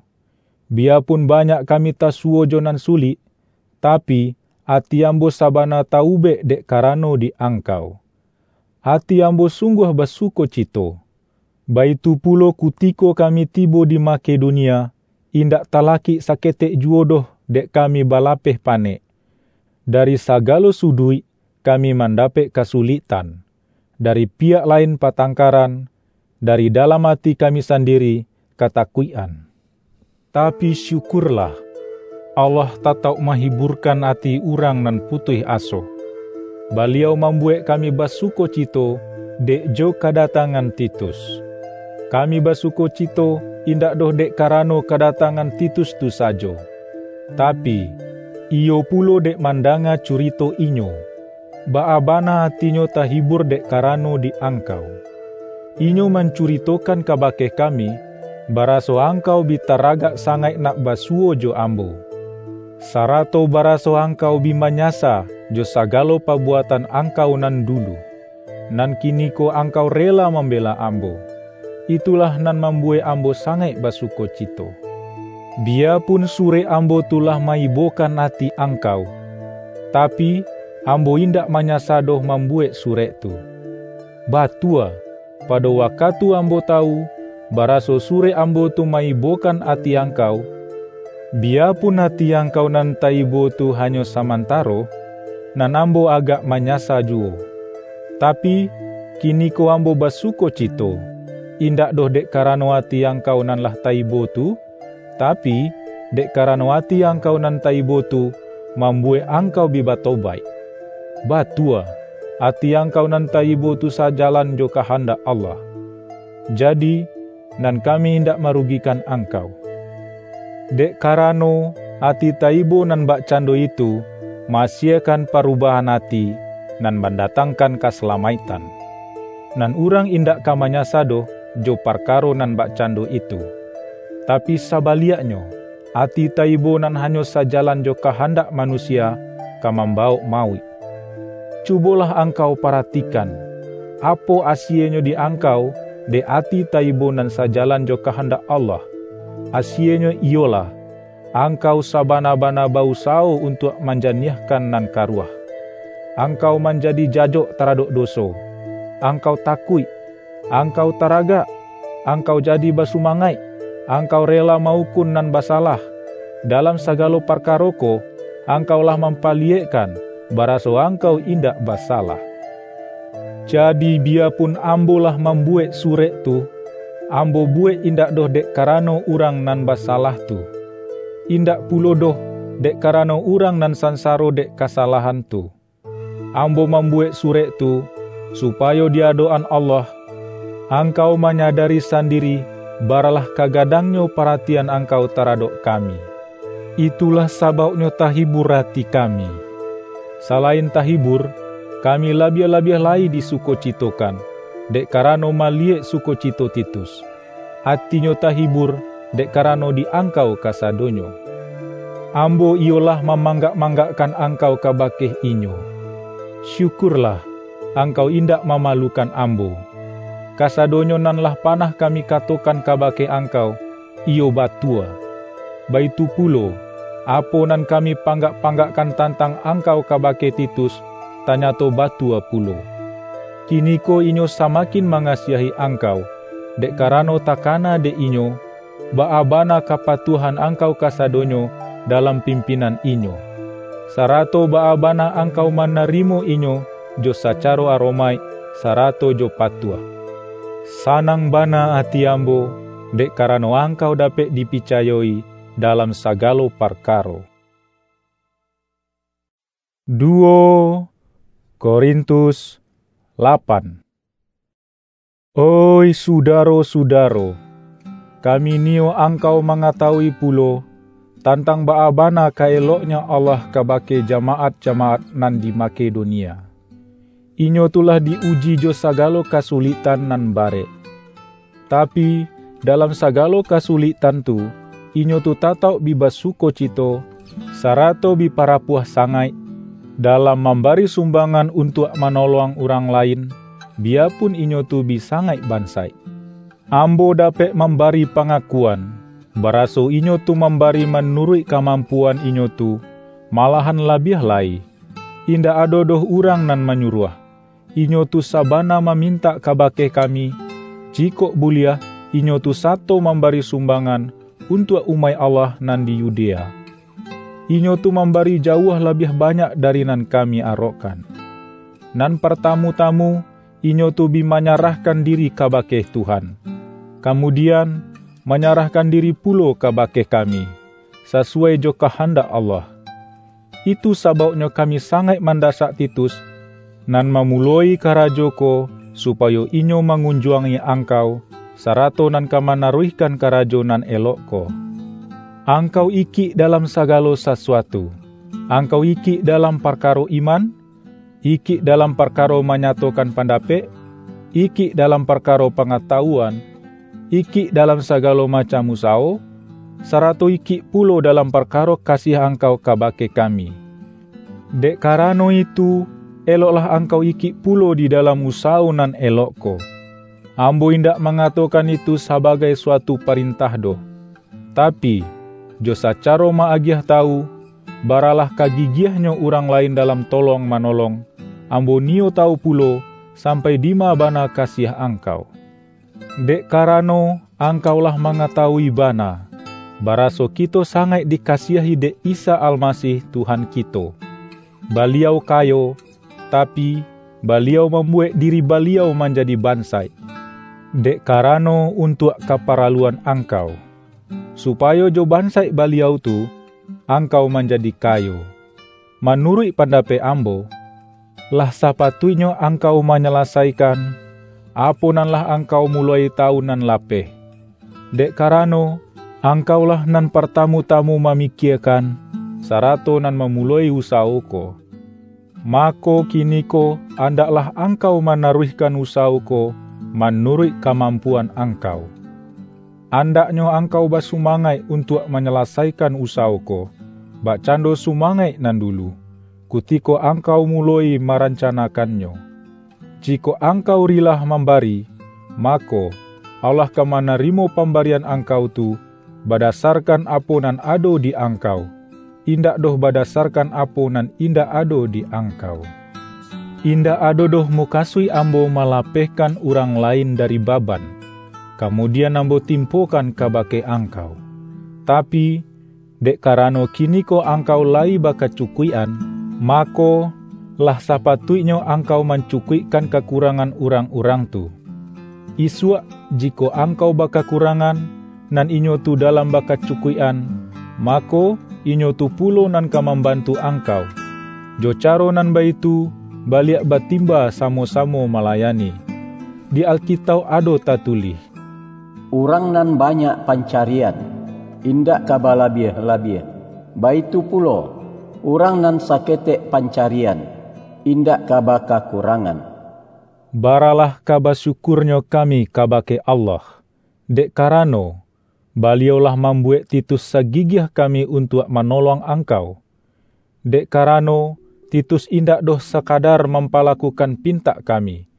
Biyapun banyak kami tasuwo jo nan sulik, tapi, ati ambo sabana taubek dek karano di angkau. Ati ambo sungguah basukocito. Baitu pulo kutiko kami tibo di Makedonia, indak talakik saketek juwo doh dek kami balapeh panek. Dari sagalo suduik kami mandapek kasuliktan, dari piyak lain patangkaran, dari dalam ati kami sandiri katakuik-an. Tapi syukurlah, Allah tatauk mahiburkan ati urang nan putuih aso. Baliau mambuwek kami basukocito dek jo kadatangan Titus. Kami basukocito indak doh dek karano kadatangan Titus tu sajo, tapi, iyo pulo dek mandanga curito inyo, baa bana atinyo tahibur dek karano di angkau. Inyo mancuritokan kabake kami, baraso angkau bi taragak sangaik nak basuwo jo ambo, sarato baraso angkau bi manyasa jo sagalo pabuatan angkau nan dulu, nan kiniko angkau rela mambela ambo. Itulah nan mambuwek ambo sangaik basukocito. Biyapun surek ambo tu lah maibokan ati angkau, tapi, ambo indak manyasa doh mambuwek surek tu. Batua, pado wakatu ambo tawu, baraso surek ambo tu maibokan ati angkau, biyapun ati angkau nan taibo tu hanyo samantaro, nan ambo agak manyasa juwo. Tapi, kiniko ambo basukocito, indak doh dek karano ati angkau nan lah taibo tu, tapi, dek karano ati angkau nan taibo tu mambuwek angkau bi batobaik. Batua, ati angkau nan taibo tu sajalan jo kahandak Allah. Jadi, nan kami indak marugikan angkau. Dek karano, ati taibo nan bakcando itu ma-asiekan parubahan ati, nan mandatangkan kasalamaiktan. Nan urang indak ka manyasa doh jo parkaro nan bakcando itu. Tapi sabaliaknyo, ati taibo nan hanyo sajalan jo kahandak manusia ka mambawok mauik. Cubolah angkau paratikan, apo asienyo di angkau dek ati taibo nan sajalan jo kahandak Allah. Asienyo iyolah, angkau sabana-bana ba-usawo untuak manjaniahkan nan karuah. Angkau manjadi jajok taradok doso. Angkau takuik. Angkau taragak. Angkau jadi basumangaik. Angkau rela ma-ukun nan basalah. Dalam sagalo parkaro ko, angkau lah mampaliyekkan, baraso angkau indak basalah. Jadi, biyapun ambo lah mambuwek surek tu, ambo buwek indak doh dek karano urang nan basalah tu, indak pulo doh dek karano urang nan sansaro dek kasalahan tu. Ambo mambuwek surek tu, supayo di adok-an Allah, angkau manyadari sandiri, baralah ka gadangnyo paratian angkau taradok kami. Itulah sabauknyo tahibur ati kami. Salain tahibur, kami labiah-labiah lai disukocitokan, dek karano maliyek sukocito Titus. Atinyo tahibur, dek karano di angkau kasadonyo. Ambo iyolah mamanggak-manggakkan angkau kabake inyo. Syukurlah, angkau indak mamalukan ambo. Kasadonyo nan lah panah kami katokan kabake angkau, iyo batua. Baitu pulo, apo nan kami panggak-panggakkan tantang angkau kabake Titus, tanyato batua pulo. Kiniko inyo samakin mangasiahi angkau, dek karano takana dek inyo, baa bana kapatuahan angkau kasadonyo dalam pimpinan inyo, sarato baa bana angkau manarimo inyo jo sacaro aromaik, sarato jo patuah. Sanang bana ati ambo, dek karano angkau dapek dipicayo-i dalam sagalo parkaro. Duo Korintus lapan. Oih sudaro-sudaro, kami niyo angkau mangatawui pulo, tantang baa bana ka eloknyo Allah kabake jamaat-jamaat nan di Makedonia. Inyo tu lah di-uji jo sagalo kasuliktan nan barek. Tapi, dalam sagalo kasuliktan tu, inyo tu tatauk bi basukocito, sarato bi parapuah sangaik, dalam mambari sumbangan untuak manolong urang lain, biyapun inyo tu bi sangaik bansaik. Ambo dapek mambari pangakuan, baraso inyo tu mambari manuruik kamampuan inyo tu, malahan labiah lai. Indak ado doh urang nan manyuruah. Inyo tu sabana mamintak kabake kami, jikok buliah, inyo tu sato mambari sumbangan untuak umaik Allah nan di Yudea. Inyo tu mambari jauah labiah banyak dari nan kami arokkan. Nan partamu-tamu, inyo tu bi manyarahkan diri kabake Tuhan, kamudian, manyarahkan diri pulo kabake kami, sasuai jo kahandak Allah. Itu sabauknyo kami sangaik mandasak Titus, nan mamuloi karajo ko, supayo inyo mangunjuangi angkau, sarato nan ka manaruihkan karajo nan elok ko. Angkau ikik dalam sagalo sasuatu. Angkau ikik dalam parkaro iman, ikik dalam parkaro manyatokan pandapek, ikik dalam parkaro pangatawuan, ikik dalam sagalo macam usawo, sarato ikik pulo dalam parkaro kasiah angkau kabake kami. Dek karano itu, eloklah angkau ikik pulo di dalam usawo nan elok ko. Ambo indak mangatokan itu sabagai suatu parintah doh, tapi, jo sacaro ma-agiah tawu, baralah ka gigiahnyo urang lain dalam tolong-manolong, ambo niyo tawu pulo, sampai dima bana kasiah angkau. Dek karano, angkau lah mangatawui bana, baraso kito sangaik dikasiahi dek Isa Almasih, Tuhan kito. Baliau kayo, tapi, Baliau mambuwek diri Baliau manjadi bansaik, dek karano untuak kaparaluan angkau, supayo jo bansaik Baliau tu, angkau manjadi kayo. Manuruik pandapek ambo, lah sapatuiknyo angkau manyalasaikan apo nan lah angkau muloi tawu nan lapeh. Dek karano, angkaulah nan partamu-tamu mamikiekan, sarato nan mamuloi usawo ko. Mako, kiniko andaklah angkau manaruihkan usawo ko manuruik kamampuan angkau. Andaknyo angkau basumangaik untuak manyalasaikan usawo ko, bakcando sumangaik nan dulu, kutiko angkau muloi marancanakannyo. Jikok angkau rilah mambari, mako, Allah ka manarimo pambarian angkau tu, badasarkan apo nan ado di angkau, indak doh badasarkan apo nan indak ado di angkau. Indak ado doh mukasuik ambo malapehkan urang lain dari baban, kamudian ambo timpokan kabake angkau. Tapi, dek karano kiniko angkau layi bakacukuik-an, mako, lah sapatuiknyo angkau mancukuikkan kakurangan urang-urang tu. Isuak, jikok angkau bakakurangan, nan inyo tu dalam bakacukuik-an, mako, inyo tu pulo nan ka mambantu angkau. Jo caro nan baitu, baliak batimba samo-samo malayani. Di Alkitauk ado tatulih, "Urang nan banyak pancarian, indak ka balabiah-labiah. Baitu pulo, urang nan saketek pancarian, indak ka bakakurangan." Baralah ka basyukurnyo kami kabake Allah, dek karano, Baliau lah mambuwek Titus sagigiah kami untuak manolong angkau. Dek karano, Titus indak doh sakadar mampalakukan pintak kami,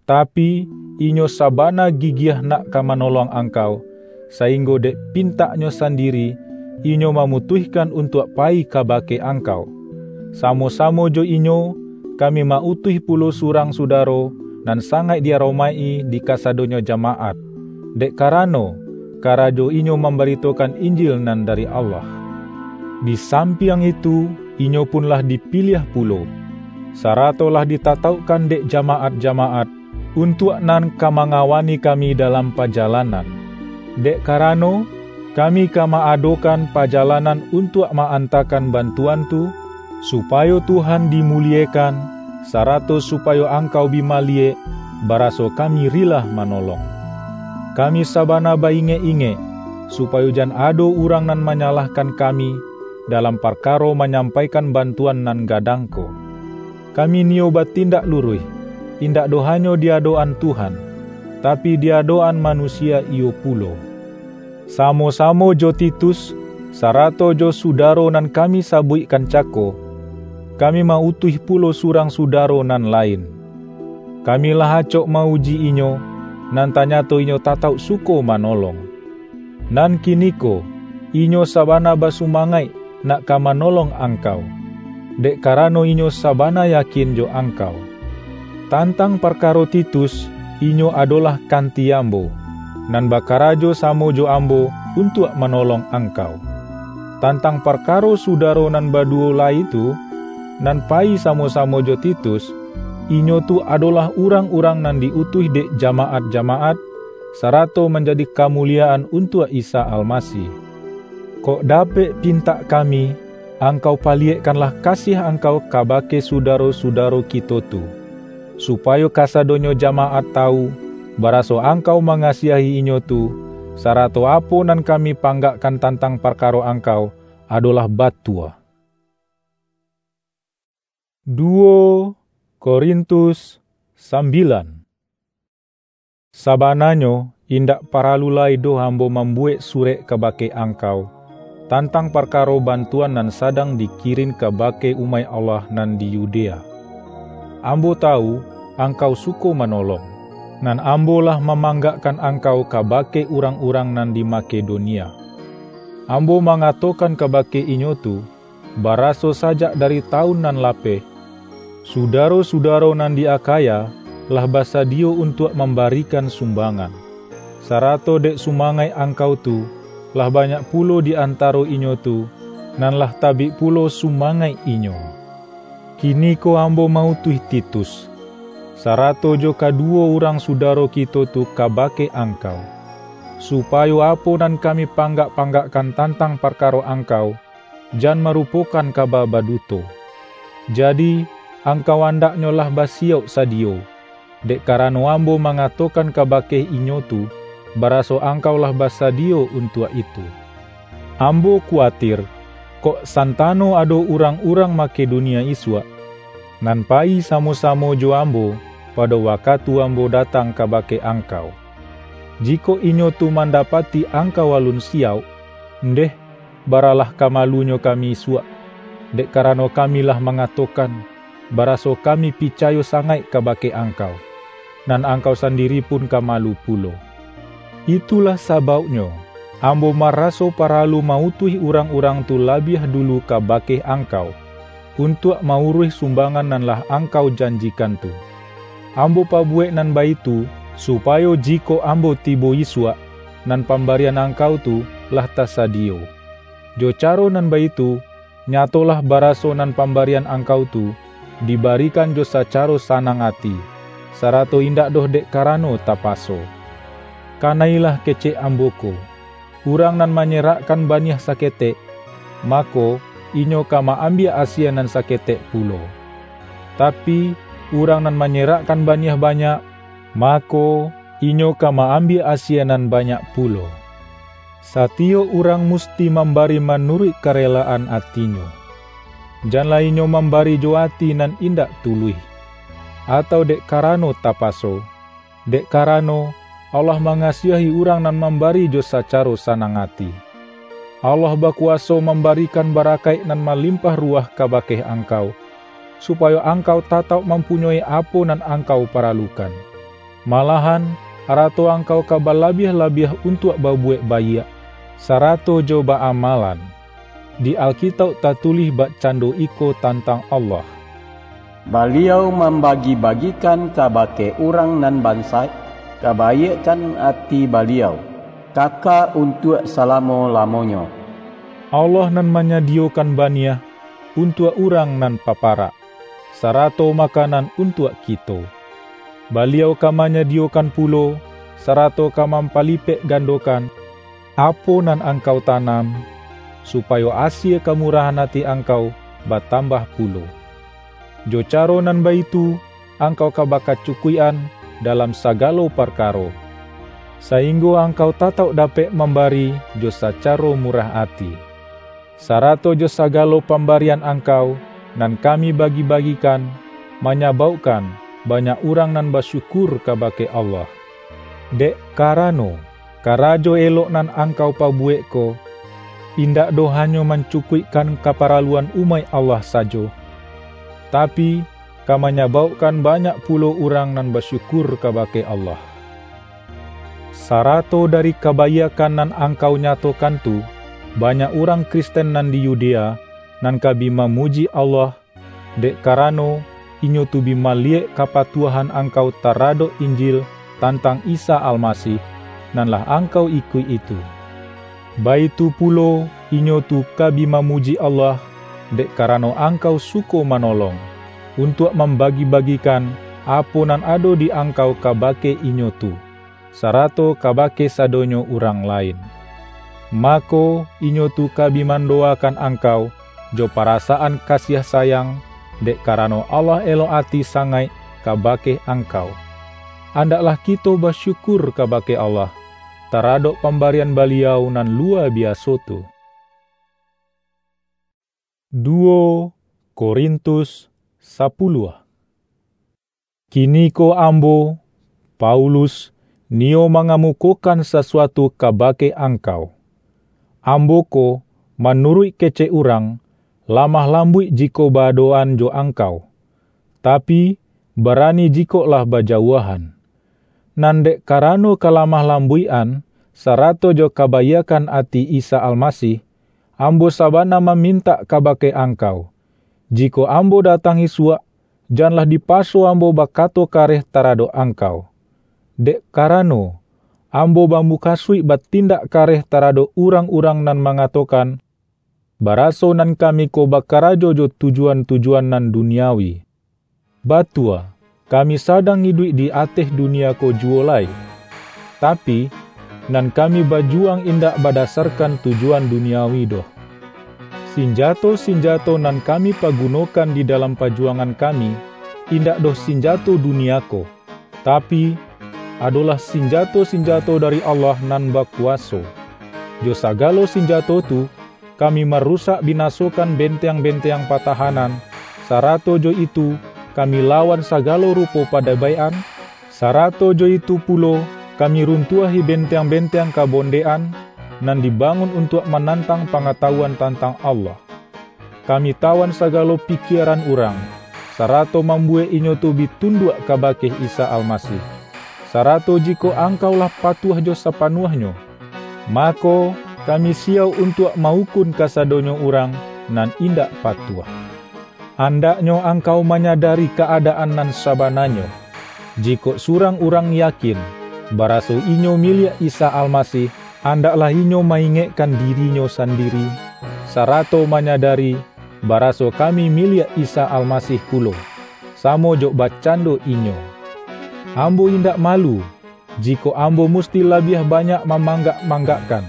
tapi, inyo sabana gigiah nak ka manolong angkau, sainggo dek pintaknyo sandiri, inyo mamutuihkan untuak payi kabake angkau. Samo-samo jo inyo, kami ma-utuih pulo surang sudaro, nan sangaik di-aromaik-i di kasadonyo jamaat, dek karano, karajo inyo mambaritokan Injil nan dari Allah. Di sampiang itu, inyo pun lah dipiliah pulo, sarato lah ditataukkan dek jamaat-jamaat, untuak nan ka mangawani kami dalam pajalanan. Dek karano, kami ka ma-adokan pajalanan untuak ma-antakan bantuan tu, supayo Tuhan dimuliekan, sarato supayo angkau bi maliyek, baraso kami rilah manolong. Kami sabana ba-ingek-ingek, supayo jan ado urang nan manyalahkan kami dalam parkaro manyampaikan bantuan nan gadang ko. Kami niyo batindak luruih, indak doh hanyo di adok-an Tuhan, tapi di adok-an manusia iyo pulo. Samo-samo jo Titus, sarato jo sudaro nan kami sabuikkan cako, kami ma-utuih pulo surang sudaro nan lain. Kami lah acok ma-uji inyo, nan tanyato inyo tatauk suko manolong. Nan kiniko, inyo sabana basumangaik nak ka manolong angkau, dek karano inyo sabana yakin jo angkau. Tantang parkaro Titus, inyo adolah kanti ambo, nan bakarajo samo jo ambo untuak manolong angkau. Tantang parkaro sudaro nan baduwo lai tu, nan payi samo-samo jo Titus, inyo tu adolah urang-urang nan di-utuih dek jamaat-jamaat, sarato manjadi kamuliyaan untuak Isa Almasih. Kok dapek pintak kami, angkau paliyekkanlah kasiah angkau kabake sudaro-sudaro kito tu, supayo kasadonyo jamaat tawu, baraso angkau mangasiahi inyo tu, sarato apo nan kami panggakkan tantang parkaro angkau, adolah batua. Duo Korintus sambilan. Sabananyo, indak paralu lai doh ambo mambuwek surek kabake angkau, tantang parkaro bantuan nan sadang dikirin kabake umaik Allah nan di Yudea. Ambo tawu, angkau suko manolong, nan ambo lah mamanggakkan angkau kabake urang-urang nan di Makedonia. Ambo mangatokan kabake inyo tu, baraso sajak dari tawun nan lapeh, sudaro-sudaro nan di Akhaya lah basadiyo untuak mambarikan sumbangan, sarato dek sumangaik angkau tu, lah banyak pulo di antaro inyo tu, nan lah tabik pulo sumangaik inyo. Kiniko ambo mautuih Titus, sarato jo kaduwo urang sudaro kito tu kabake angkau, supayo apo nan kami panggak-panggakkan tantang parkaro angkau, jan marupokan kaba baduto. Jadi, angkau andaknyo lah basiyauk sadiyo, dek karano ambo mangatokan kabake inyo tu, baraso angkau lah basadiyo untuak itu. Ambo kuwatir, kok santano ado urang-urang Makedonia isuak, nan payi samo-samo jo ambo pado wakatu ambo datang kabake angkau. Jikok inyo tu mandapati angkau alun siyauk, ndeh, baralah ka malunyo kami isuak, dek karano kami lah mangatokan, baraso kami picayo sangaik kabake angkau, nan angkau sandiri pun ka malu pulo. Itulah sabauknyo, ambo maraso paralu mautuih urang-urang tu labiah dulu kabake angkau, untuak mauruih sumbangan nan lah angkau janjikan tu. Ambo pabuwek nan baitu, supayo jikok ambo tibo isuak, nan pambarian angkau tu lah tasadiyo. Jo caro nan baitu, nyatolah baraso nan pambarian angkau tu dibarikan jo sacaro sanang ati, sarato indak doh dek karano tapaso. Kanailah kecek ambo ko, urang nan manyerakkan baniah saketek, mako, inyo ka ma-ambiak asie nan saketek pulo. Tapi, urang nan manyerakkan baniah banyak, mako, inyo ka ma-ambiak asie nan banyak pulo. Satiyok urang musti mambari manuruik karelaan atinyo. Janlah inyo mambari jo ati nan indak tuluih, atau dek karano tapaso, dek karano Allah mangasiahi urang nan mambari jo sacaro sanang ati. Allah bakuwaso mambarikan barakaik nan malimpah ruwah kabake angkau, supayo angkau tatauk mampunyoi apo nan angkau paralukan. Malahan, arato angkau ka balabiah-labiah untuak babuwek baiak, sarato jo ba-amalan. Di Alkitauk tatulih bakcando iko tantang Allah, "Baliau mambagi-bagikan kabake urang nan bansaik, kabaiakkan ati Baliau, kaka untuak salamo-lamonyo." Allah nan manyadiyokan baniah untuak urang nan paparak, sarato makanan untuak kito. Baliau ka manyadiyokan pulo, sarato ka mampalipek gandokan, apo nan angkau tanam, supayo asie kamurahan ati angkau batambah pulo. Jo caro nan baitu, angkau ka bakacukuik-an dalam sagalo parkaro, sainggo angkau tatauk dapek mambari jo sacaro murah ati. Sarato jo sagalo pambarian angkau, nan kami bagi-bagikan, manyabaukkan banyak urang nan basyukur kabake Allah. Dek karano, karajo elok nan angkau pabuwek ko, indak doh hanyo mancukuikkan kaparaluan umaik Allah sajo, tapi, ka manyabaukkan banyak pulo urang nan basyukur kabake Allah. Sarato dari kabaiakkan nan angkau nyatokan tu, banyak urang Kristen nan di Yudea, nan ka bi mamuji Allah, dek karano, inyo tu bi maliyek kapatuahan angkau taradok Injil tantang Isa Almasih, nan lah angkau ikuik itu. Baitu pulo, inyo tu ka bi mamuji Allah, dek karano angkau suko manolong, untuak mambagi-bagikan apo nan ado di angkau kabake inyo tu, sarato kabake sadonyo urang lain. Mako, inyo tu ka bi mandowakan angkau jo parasaan kasiah sayang, dek karano Allah elok ati sangaik kabake angkau. Andaklah kito basyukur kabake Allah, taradok pambarian Baliau nan luwa biaso tu. Duo Korintus sapuluah. Kiniko ambo, Paulus, niyo mangamukokan sasuatu kabake angkau. Ambo ko, manuruik kecek urang, lamah lambuik jikok ba-adoan jo angkau, tapi, barani jikok lah bajauahan. Nan dek karano kalamah lambuik-an, sarato jo kabaiakkan ati Isa Almasih, ambo sabana mamintak kabake angkau, jikok ambo datang isuak, janlah dipaso ambo bakato kareh taradok angkau. Dek karano, ambo bamukasuik batindak kareh taradok urang-urang nan mangatokan, baraso nan kami ko bakarajo jo tujuan-tujuan nan duniawi. Batua, kami sadang iduik di ateh dunia ko juwo lai. Tapi, nan kami bajuwang indak badasarkan tujuan duniawi doh. Sinjato-sinjato nan kami pagunokan di dalam pajuwangan kami, indak doh sinjato dunia ko, tapi, adolah sinjato-sinjato dari Allah nan bakuwaso. Jo sagalo sinjato tu, kami marusak binasokan benteang-benteang patahanan, sarato jo itu, kami lawan sagalo rupo padabaik-an, sarato jo itu pulo, kami runtuahi benteang-benteang kabondekan, nan dibangun untuak manantang pangatawuan tantang Allah. Kami tawan sagalo pikieran urang, sarato mambuwek inyo tu bi tunduak kabake Isa Almasih, sarato jikok angkau lah patuah jo sapanuahnyo, mako, kami siyauk untuak ma-ukun kasadonyo urang nan indak patuah. Andaknyo angkau manyadari ka-adaan nan sabananyo. Jikok surang urang yakin, baraso inyo miliak Isa Almasih, andaklah inyo ma-ingekkan dirinyo sandiri, sarato manyadari, baraso kami miliak Isa Almasih pulo, samo jo bakcando inyo. Ambo indak malu, jikok ambo musti labiah banyak mamanggak-manggakkan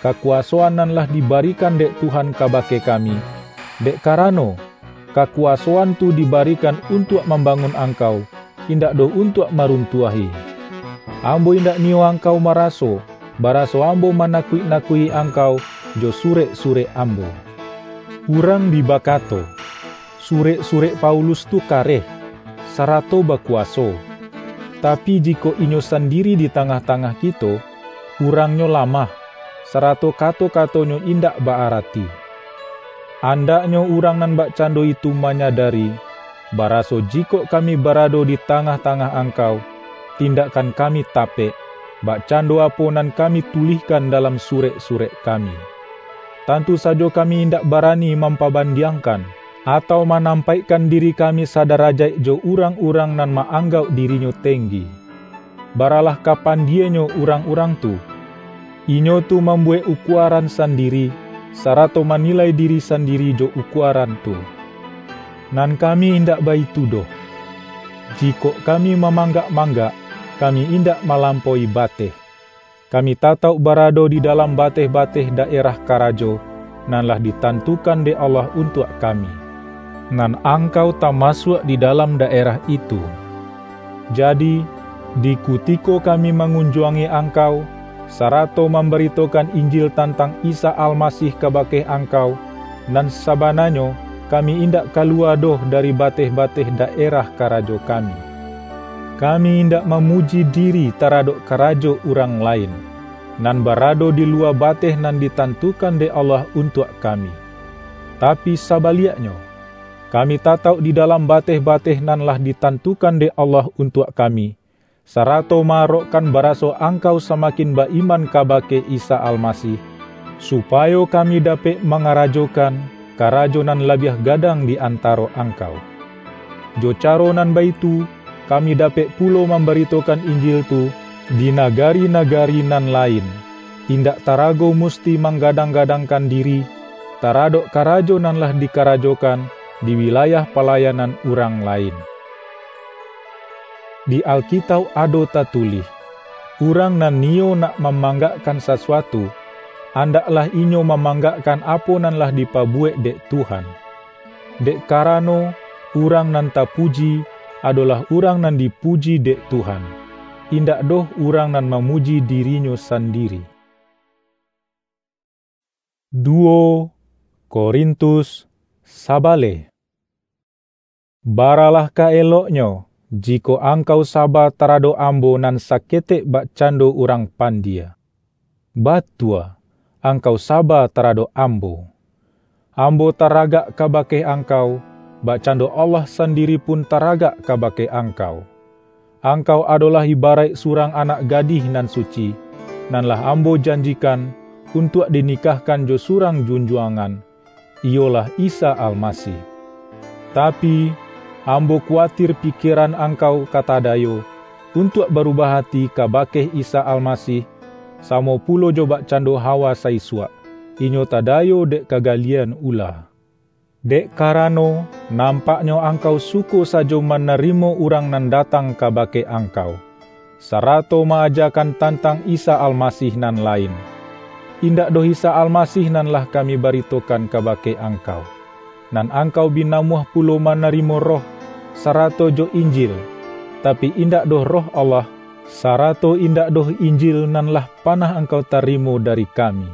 kakuwasoan nan lah dibarikan dek Tuhan kabake kami, dek karano, kakuwasoan tu dibarikan untuak mambangun angkau, indak doh untuak maruntuahi. Ambo indak niyo angkau maraso, baraso ambo manakuik-nakuik angkau jo surek-surek ambo. Urang bi bakato, "Surek-surek Paulus tu kareh, sarato bakuwaso." Tapi, jikok inyo sandiri di tangah-tangah kito, urangnyo lamah, sarato kato-katonyo indak ba-arati. Andaknyo urang nan bakcando itu manyadari, baraso jikok kami barado di tangah-tangah angkau, tindakkan kami tapek, bakcando apo nan kami tulihkan dalam surek-surek kami. Tantu sajo kami indak barani mampabandiangkan, atau manampaikkan diri kami sadarajaik jo urang-urang nan ma-anggauk dirinyo tenggi. Baralah ka pandienyo urang-urang tu. Inyo tu mambuwek ukuaran sandiri, sarato manilai diri sandiri jo ukuaran tu. Nan kami indak baitu doh. Jikok kami mamanggak-manggak, kami indak malampaui bateh. Kami tatauk barado di dalam bateh-bateh daerah karajo, nan lah ditantukan dek Allah untuak kami. Nan angkau tamasuak di dalam daerah itu. Jadi, di kutiko kami mangunjuangi angkau, sarato mambaritokan Injil tantang Isa Almasih kabake angkau, nan sabananyo kami indak kaluwa doh dari bateh-bateh daerah karajo kami. Kami indak mamuji diri taradok karajo urang lain, nan barado di luwa bateh nan ditantukan dek Allah untuak kami. Tapi sabaliaknyo, kami tatauk di dalam bateh-bateh nan lah ditantukan dek Allah untuak kami, sarato ma-arokkan baraso angkau samakin ba-iman kabake Isa Almasih, supayo kami dapek mangarajokan karajo nan labiah gadang di antaro angkau. Jo caro nan baitu, kami dapek pulo mambaritokan Injil tu di nagari-nagari nan lain, indak tarago musti manggadang-gadangkan diri taradok karajo nan lah dikarajokan di wilayah palayanan urang lain. Di Alkitauk ado tatulih, "Urang nan niyo nak mamanggakkan sasuatu, andaklah inyo mamanggakkan apo nan lah dipabuwek dek Tuhan." Dek karano, urang nan tapuji, adolah urang nan dipuji dek Tuhan, indak doh urang nan mamuji dirinyo sandiri. Duo Korintus sabaleh. Baralah ka eloknyo, jikok angkau saba taradok ambo nan saketek bakcando urang pandie. Batua, angkau saba taradok ambo. Ambo taragak kabake angkau, bakcando Allah sandiri pun taragak kabake angkau. Angkau adolah ibaraik surang anak gadih nan suci, nan lah ambo janjikan untuak dinikahkan jo surang junjuangan, iyolah Isa Almasih. Tapi, ambo kuwatir pikieran angkau ka tadayo, untuak barubah ati kabake Isa Almasih, samo pulo jo bakcando Hawa saisuak, inyo tadayo dek kagalian ula. Dek karano, nampaknyo angkau suko sajo manarimo urang nan datang kabake angkau, sarato ma-ajakan tantang Isa Almasih nan lain. Indak doh Isa Almasih nan lah kami baritokan kabake angkau, nan angkau bi namuah pulo manarimo Roh, sarato jo Injil, tapi indak doh Roh Allah, sarato indak doh Injil nan lah panah angkau tarimo dari kami.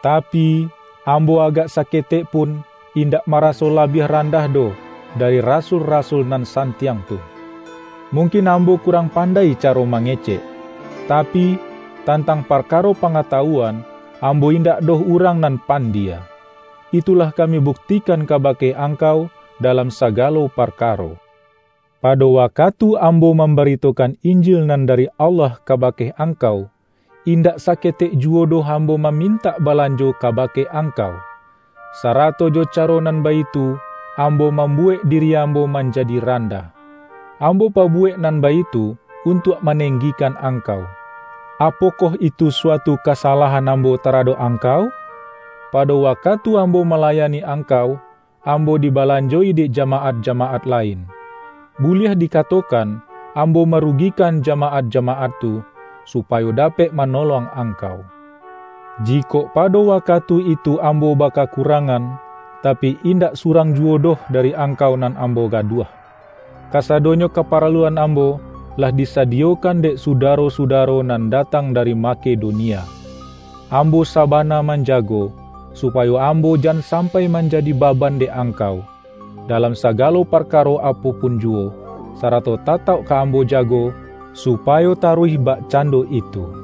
Tapi, ambo agak saketek pun indak maraso labiah randah doh dari rasul-rasul nan santiang tu. Mungkin ambo kurang pandai caro mangecek, tapi, tantang parkaro pangatawuan, ambo indak doh urang nan pandie. Itulah kami buktikan kabake angkau dalam sagalo parkaro. Pado wakatu ambo mambaritokan Injil nan dari Allah kabake angkau, indak saketek juwo doh ambo mamintak balanjo kabake angkau. Sarato jo caro nan baitu, ambo mambuwek diri ambo manjadi randah. Ambo pabuwek nan baitu untuak manenggikan angkau. Apokoh itu suatu kasalahan ambo taradok angkau? Pado wakatu ambo malayani angkau, ambo dibalanjoi dek jamaat-jamaat lain. Buliah dikatokan, ambo marugikan jamaat-jamaat tu, supayo dapek manolong angkau. Jikok pado wakatu itu ambo bakakurangan, tapi indak surang juwo doh dari angkau nan ambo gaduah. Kasadonyo kaparaluan ambo lah disadiyokan dek sudaro-sudaro nan datang dari Makedonia. Ambo sabana manjago, supayo ambo jan sampai manjadi baban dek angkau, dalam sagalo parkaro apo pun juwo, sarato tatauk ka ambo jago, supayo taruih bakcando itu.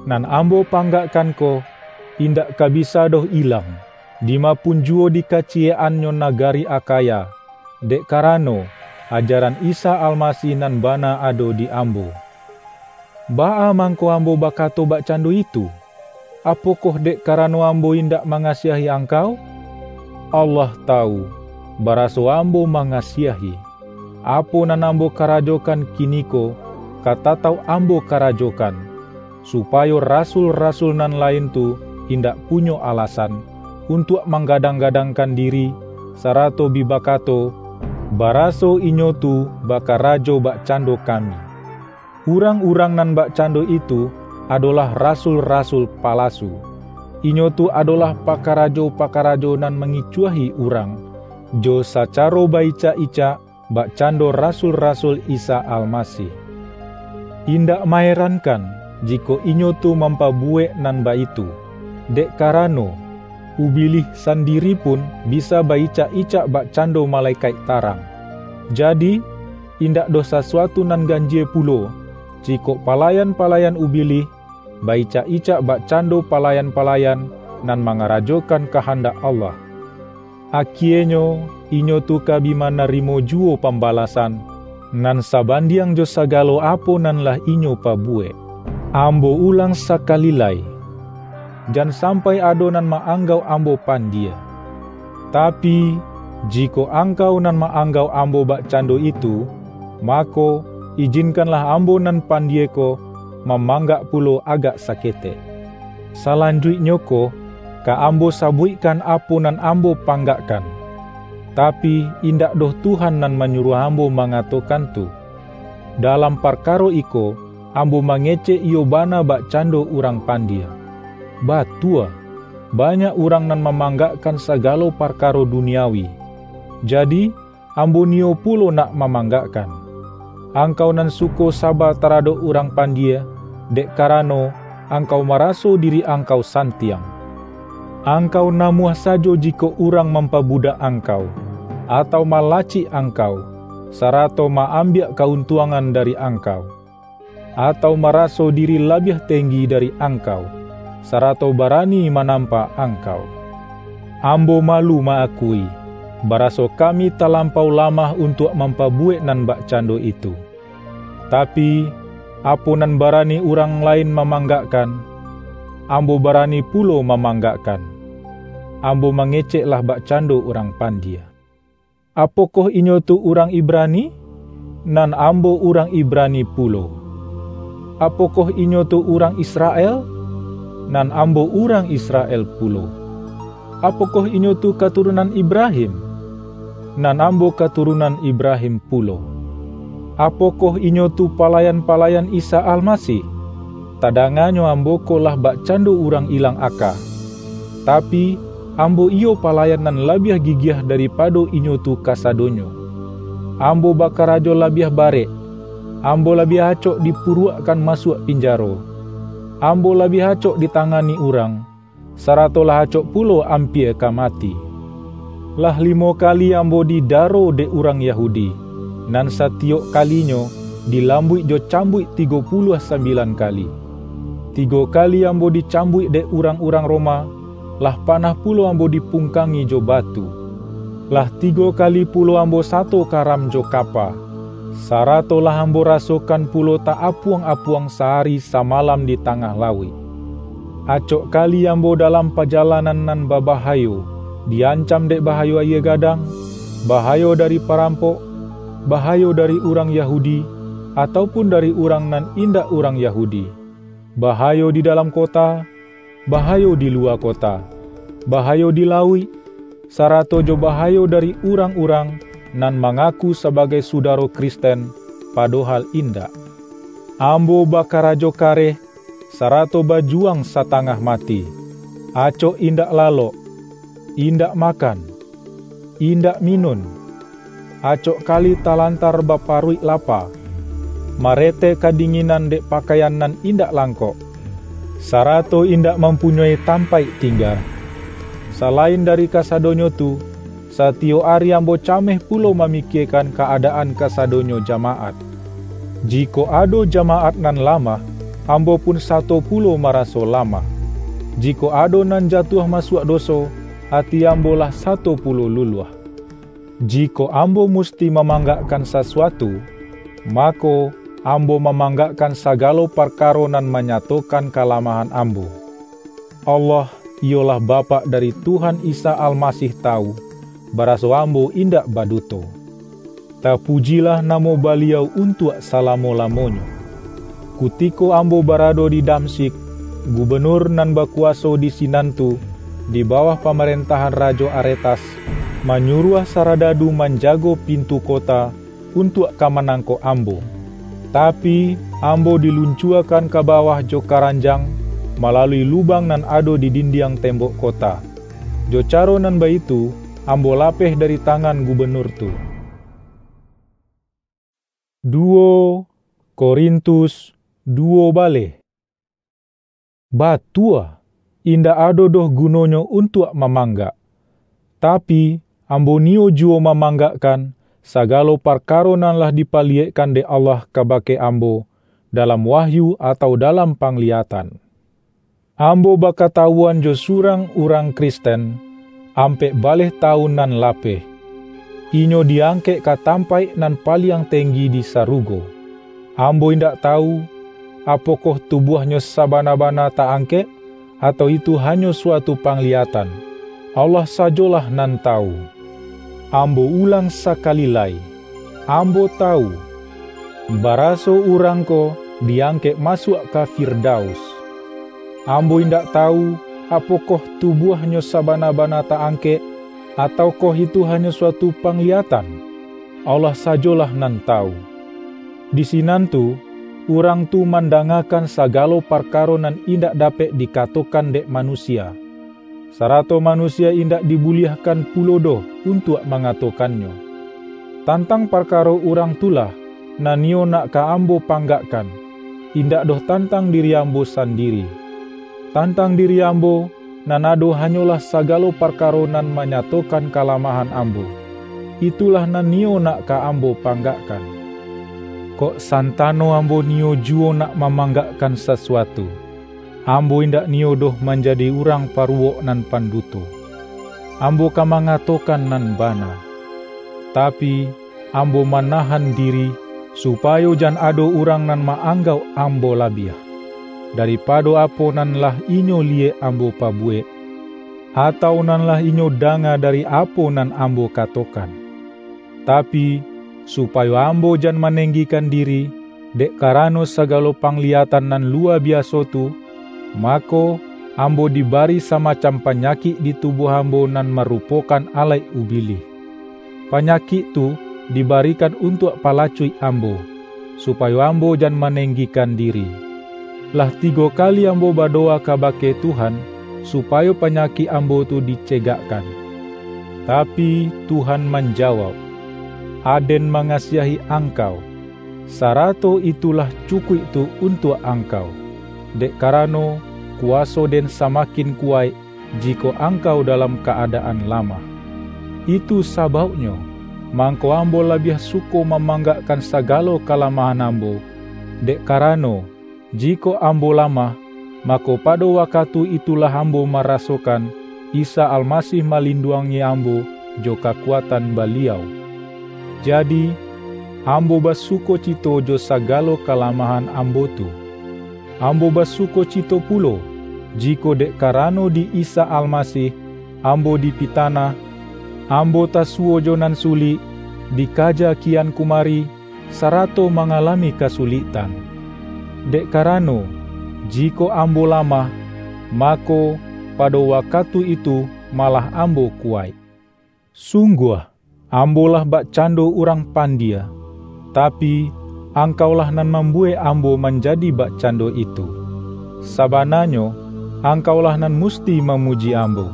Nan ambo panggakkan ko, indak ka bisa doh ilang, dima pun juwo di kaciyek-annyo nagari Akhaya, dek karano, ajaran Isa Almasih nan bana ado di ambo. Baa mangko ambo bakato bakcando itu? Apokoh dek karano ambo indak mangasiahi angkau? Allah tawu, baraso ambo mangasiahi. Apo nan ambo karajokan kiniko, ka tatauk ambo karajokan, supayo rasul-rasul nan lain tu indak punyo alasan untuak manggadang-gadangkan diri, sarato bi bakato, baraso inyo tu bakarajo bakcando kami. Urang-urang nan bakcando itu adolah rasul-rasul palasu. Inyo tu adolah pakarajo-pakarajo nan mangicuahi urang, jo sacaro baicak-icak bakcando rasul-rasul Isa Almasih. Indak maerankan, jikok inyo tu mampabuwek nan baitu, dek karano, Ubilih sandiri pun bisa baicak-icak bakcando malekaik tarang. Jadi, indak doh sasuatu nan ganjie pulo, jikok palayan-palayan Ubilih baicak-icak bakcando palayan-palayan nan mangarajokan kahandak Allah. Akienyo, inyo tu ka bi manarimo juwo pambalasan, nan sabandiang jo sagalo apo nan lah inyo pabuwek. Ambo ulang sakali lai, jan sampai ado nan ma-anggauk ambo pandie. Tapi, jikok angkau nan ma-anggauk ambo bakcando itu, mako, ijinkanlah ambo nan pandie ko mamanggak pulo agak saketek. Salanjuiknyo ko, ka ambo sabuikkan apo nan ambo panggakkan. Tapi, indak doh Tuhan nan manyuruah ambo mangatokan tu. Dalam parkaro iko, ambo mangecek iyo bana bakcando urang pandie. Batua, banyak urang nan mamanggakkan sagalo parkaro duniawi. Jadi, ambo niyo pulo nak mamanggakkan. Angkau nan suko saba taradok urang pandie, dek karano angkau maraso diri angkau santiang. Angkau namuah sajo jikok urang mampabudak angkau, atau malacik angkau, sarato ma-ambiak ka-untuangan dari angkau, atau maraso diri labiah tenggi dari angkau, sarato barani manampa angkau. Ambo malu ma-akui, baraso kami talampau lamah untuak mampabuwek nan bakcando itu. Tapi, apo nan barani urang lain mamanggakkan, ambo barani pulo mamanggakkan. Ambo mangecek lah bakcando urang pandie. Apokoh inyo tu urang Ibrani? Nan ambo urang Ibrani pulo. Apokoh inyo tu urang Israel? Nan ambo urang Israel pulo. Apokoh inyo tu katurunan Ibrahim? Nan ambo katurunan Ibrahim pulo. Apokoh inyo tu palayan-palayan Isa Almasih? Tadanganyo ambo ko lah bakcando urang ilang aka. Tapi, ambo iyo palayan nan labiah gigiah daripado inyo tu kasadonyo. Ambo bakarajo labiah barek. Ambo labiah acok dipuruakkan masuak pinjaro. Ambo labiah acok ditangani urang, sarato lah acok pulo ampia ka mati. Lah limo kali ambo didaro dek urang Yahudi, nan satiyok kalinyo dilambuik jo cambuik tigo puluah sambilan kali. Tigo kali ambo dicambuik dek urang-urang Roma, lah panah pulo ambo dipungkangi jo batu. Lah tigo kali pulo ambo sato karam jo kapa, sarato lah ambo rasokan pulo ta-apuang-apuang sahari samalam di tangah lauik. Acok kali ambo dalam pajalanan nan babahayo, di-ancam dek bahayo ayie gadang, bahayo dari parampok, bahayo dari urang Yahudi, atau pun dari urang nan indak urang Yahudi, bahayo di dalam kota, bahayo di luwa kota, bahayo di lauik, sarato jo bahayo dari urang-urang nan mangaku sabagai sudaro Kristen, padohal indak. Ambo bakarajo kareh, sarato bajuwang satangah mati, acok indak lalok, indak makan, indak minun, acok kali talantar baparuik lapa, maretek kadinginan dek pakaian nan indak langkok, sarato indak mampunyoi tampaik tingga. Salain dari kasadonyo tu, satiyok ari ambo cameh pulo mamikiekan ka-adaan kasadonyo jamaat. Jikok ado jamaat nan lamah, ambo pun sato pulo maraso lamah. Jikok ado nan jatuah masuak doso, ati ambo lah sato pulo luluah. Jikok ambo musti mamanggakkan sasuatu, mako, ambo mamanggakkan sagalo parkaro nan manyatokan kalamahan ambo. Allah, iyolah Bapak dari Tuhan Isa Almasih tawu, baraso ambo indak baduto. Tapujilah namo Baliau untuak salamo-lamonyo. Kutiko ambo barado di Damsyik, gubenur nan bakuwaso di sinan tu, di bawah pamarentahan Rajo Aretas, manyuruah saradadu manjago pintu kota, untuak ka manangkok ambo. Tapi, ambo diluncuakan ka bawah jo karanjang, malalui lubang nan ado di dindiang tembok kota. Jo caro nan baitu, ambo lapeh dari tangan gubenur tu. Duo Korintus duo baleh. Batua, indak ado doh gunonyo untuak mamanggak. Tapi, ambo niyo juwo mamanggakkan sagalo parkaro nan lah dipaliyekkan dek Allah kabake ambo, dalam wahyu atau dalam pangliyatan. Ambo bakatawuan jo surang urang Kristen, ampek baleh tawun nan lapeh. Inyo diangkek ka tampaik nan paliang tenggi di sarugo. Ambo indak tawu, apokoh tubuahnyo sabana-bana ta-angkek, atau itu hanyo suatu pangliyatan. Allah sajolah nan tawu. Ambo ulang sakali lai, ambo tawu, baraso urang ko diangkek masuak ka Firdaus. Ambo indak tawu, apokoh tubuahnyo sabana-bana ta-angkek, ataukoh itu hanyo suatu pangliyatan. Allah sajolah nan tawu. Di sinan tu, urang tu mandangakan sagalo parkaro nan indak dapek dikatokan dek manusia, sarato manusia indak dibuliahkan pulo doh untuak mangatokannyo. Tantang parkaro urang tu lah, nan iyo nak ka ambo panggakkan, indak doh tantang diri ambo sandiri. Tantang diri ambo, nan ado hanyolah sagalo parkaro nan manyatokan kalamahan ambo. itulah nan niyo nak ka ambo panggakkan. Kok santano ambo niyo juwo nak mamanggakkan sasuatu, ambo indak niyo doh manjadi urang paruwok nan panduto. Ambo ka mangatokan nan bana. Tapi, ambo manahan diri, supayo jan ado urang nan ma-anggauk ambo labiah, daripado apo nan lah inyo liyek ambo pabuwek, atau nan lah inyo danga dari apo nan ambo katokan. Tapi, supayo ambo jan manenggikan diri, dek karano sagalo pangliyatan nan luwa biaso tu, mako, ambo dibari samacam panyakik di tubuah ambo nan marupokan alaik ubilih. Panyakik tu dibarikan untuak palacuik ambo, supayo ambo jan manenggikan diri. Lah tigo kali ambo badowa kabake Tuhan, supayo panyakik ambo tu dicegakkan. Tapi, Tuhan manjawauk, "Aden mangasiahi angkau, sarato itulah cukuik tu untuak angkau, dek karano, kuwaso Den samakin kuwaik, jikok angkau dalam ka-adaan lamah. Itu sabauknyo, mangko ambo labiah suko mamanggakkan sagalo kalamahan ambo, dek karano, jikok ambo lamah, mako, pado wakatu itulah ambo marasokan Isa Almasih malinduangi ambo jo kakuatan Baliau. Jadi, ambo basukocito jo sagalo kalamahan ambo tu. Ambo basukocito pulo, jikok dek karano di Isa Almasih, ambo dipitanah, ambo tasuwo jo nan sulik, dikaja kian kumari, sarato mangalami kasuliktan. Dek karano, jikok ambo lamah, mako, pado wakatu itu malah ambo kuwaik. Sungguah, ambo lah bakcando urang pandie, tapi, angkaulah nan mambuwek ambo manjadi bakcando itu. Sabananyo, angkaulah nan musti mamuji ambo.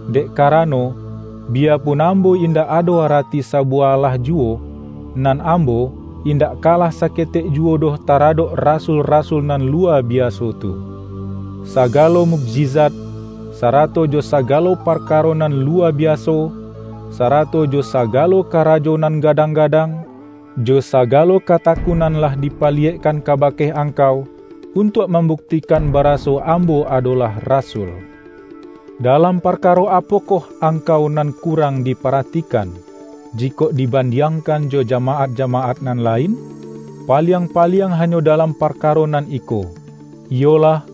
Dek karano, biyapun ambo indak ado arati sabuwah alah juwo, nan ambo indak kalah saketek juwo doh taradok rasul-rasul nan luwa biaso tu. Sagalo mukjizat, sarato jo sagalo parkaro nan luwa biaso, sarato jo sagalo karajo nan gadang-gadang, jo sagalo katakunan lah dipaliyekkan kabake angkau, untuak mambuktikan baraso ambo adolah rasul. Dalam parkaro apokoh angkau nan kurang diparatikan, jikok dibandiangkan jo jamaat-jamaat nan lain? Paliang-paliang hanyo dalam parkaro nan iko, iyolah,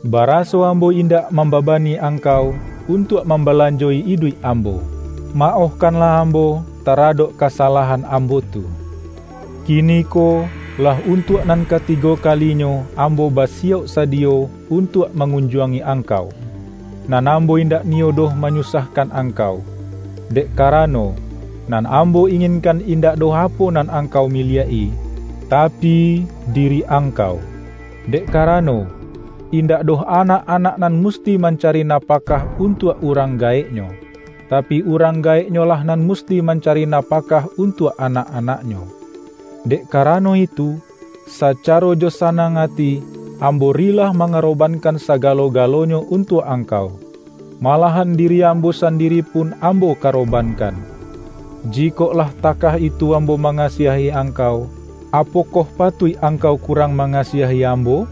baraso ambo indak mambabani angkau untuak mambalanjoi iduik ambo. Maohkanlah ambo taradok kasalahan ambo tu. Kiniko lah untuak nan katigo kalinyo ambo basiyauk sadiyo untuak mangunjuangi angkau, nan ambo indak niyo doh manyusahkan angkau, dek karano, nan ambo inginkan indak doh apo nan angkau miliak-i, tapi, diri angkau. Dek karano, indak doh anak-anak nan musti mancari napakah untuak urang gaeknyo, tapi, urang gaeknyolah nan musti mancari napakah untuak anak-anaknyo. Dek karano itu, sacaro jo sanang ati, ambo rilah mangarobankan sagalo-galonyo untuak angkau. Malahan diri ambo sandiri pun ambo karobankan. Jikok lah takah itu ambo mangasiahi angkau, apokoh patuik angkau kurang mangasiahi ambo?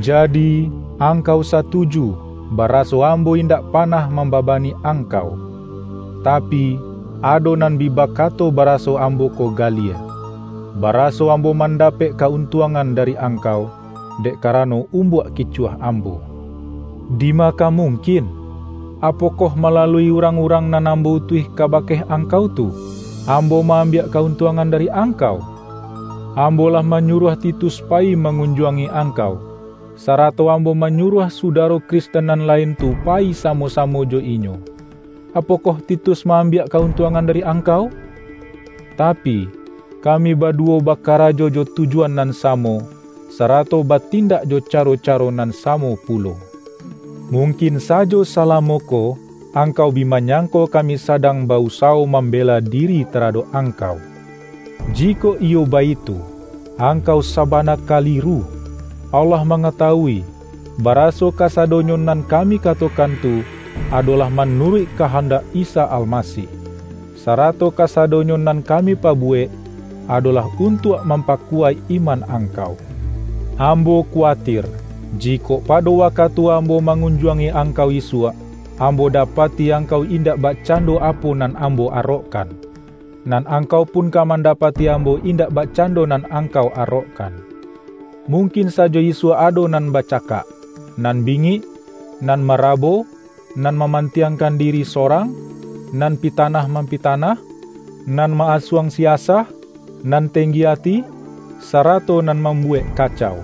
Jadi, angkau satuju, baraso ambo indak panah mambabani angkau. Tapi, ado nan bi bakato baraso ambo ko galie, baraso ambo mandapek ka-untuangan dari angkau, dek karano umbuak kicuah ambo. Dima ka mungkin? Apokoh malalui urang-urang nan ambo utuih kabake angkau tu, ambo ma-ambiak ka-untuangan dari angkau? Ambo lah manyuruah Titus payi mangunjuangi angkau, sarato ambo manyuruah sudaro Kristen nan lain tu payi samo-samo jo inyo. Apokoh Titus ma-ambiak ka-untuangan dari angkau? Tapi, kami baduwo bakarajo jo tujuan nan samo, sarato batindak jo caro-caro nan samo pulo. Mungkin sajo salamo ko, angkau bi manyangko kami sadang ba-usawo mambela diri taradok angkau. Jikok iyo baitu, angkau sabana kaliru. Allah mangatawui, baraso kasadonyo nan kami katokan tu, adolah manuruik kahandak Isa Almasih. sarato kasadonyo nan kami pabuwek, adolah untuak mampakuwaik iman angkau. Ambo kuwatir, jikok pado wakatu ambo mangunjuangi angkau isuak, ambo dapati angkau indak bakcando apo nan ambo arokkan, nan angkau pun ka mandapati ambo indak bakcando nan angkau arokkan. Mungkin sajo isuak ado nan bacakak, nan bingik, nan marabo, nan mamantiangkan diri sorang, nan pitanah-mampitanah, nan ma-asuang siasah, nan tenggi ati, sarato nan mambuwek kacau.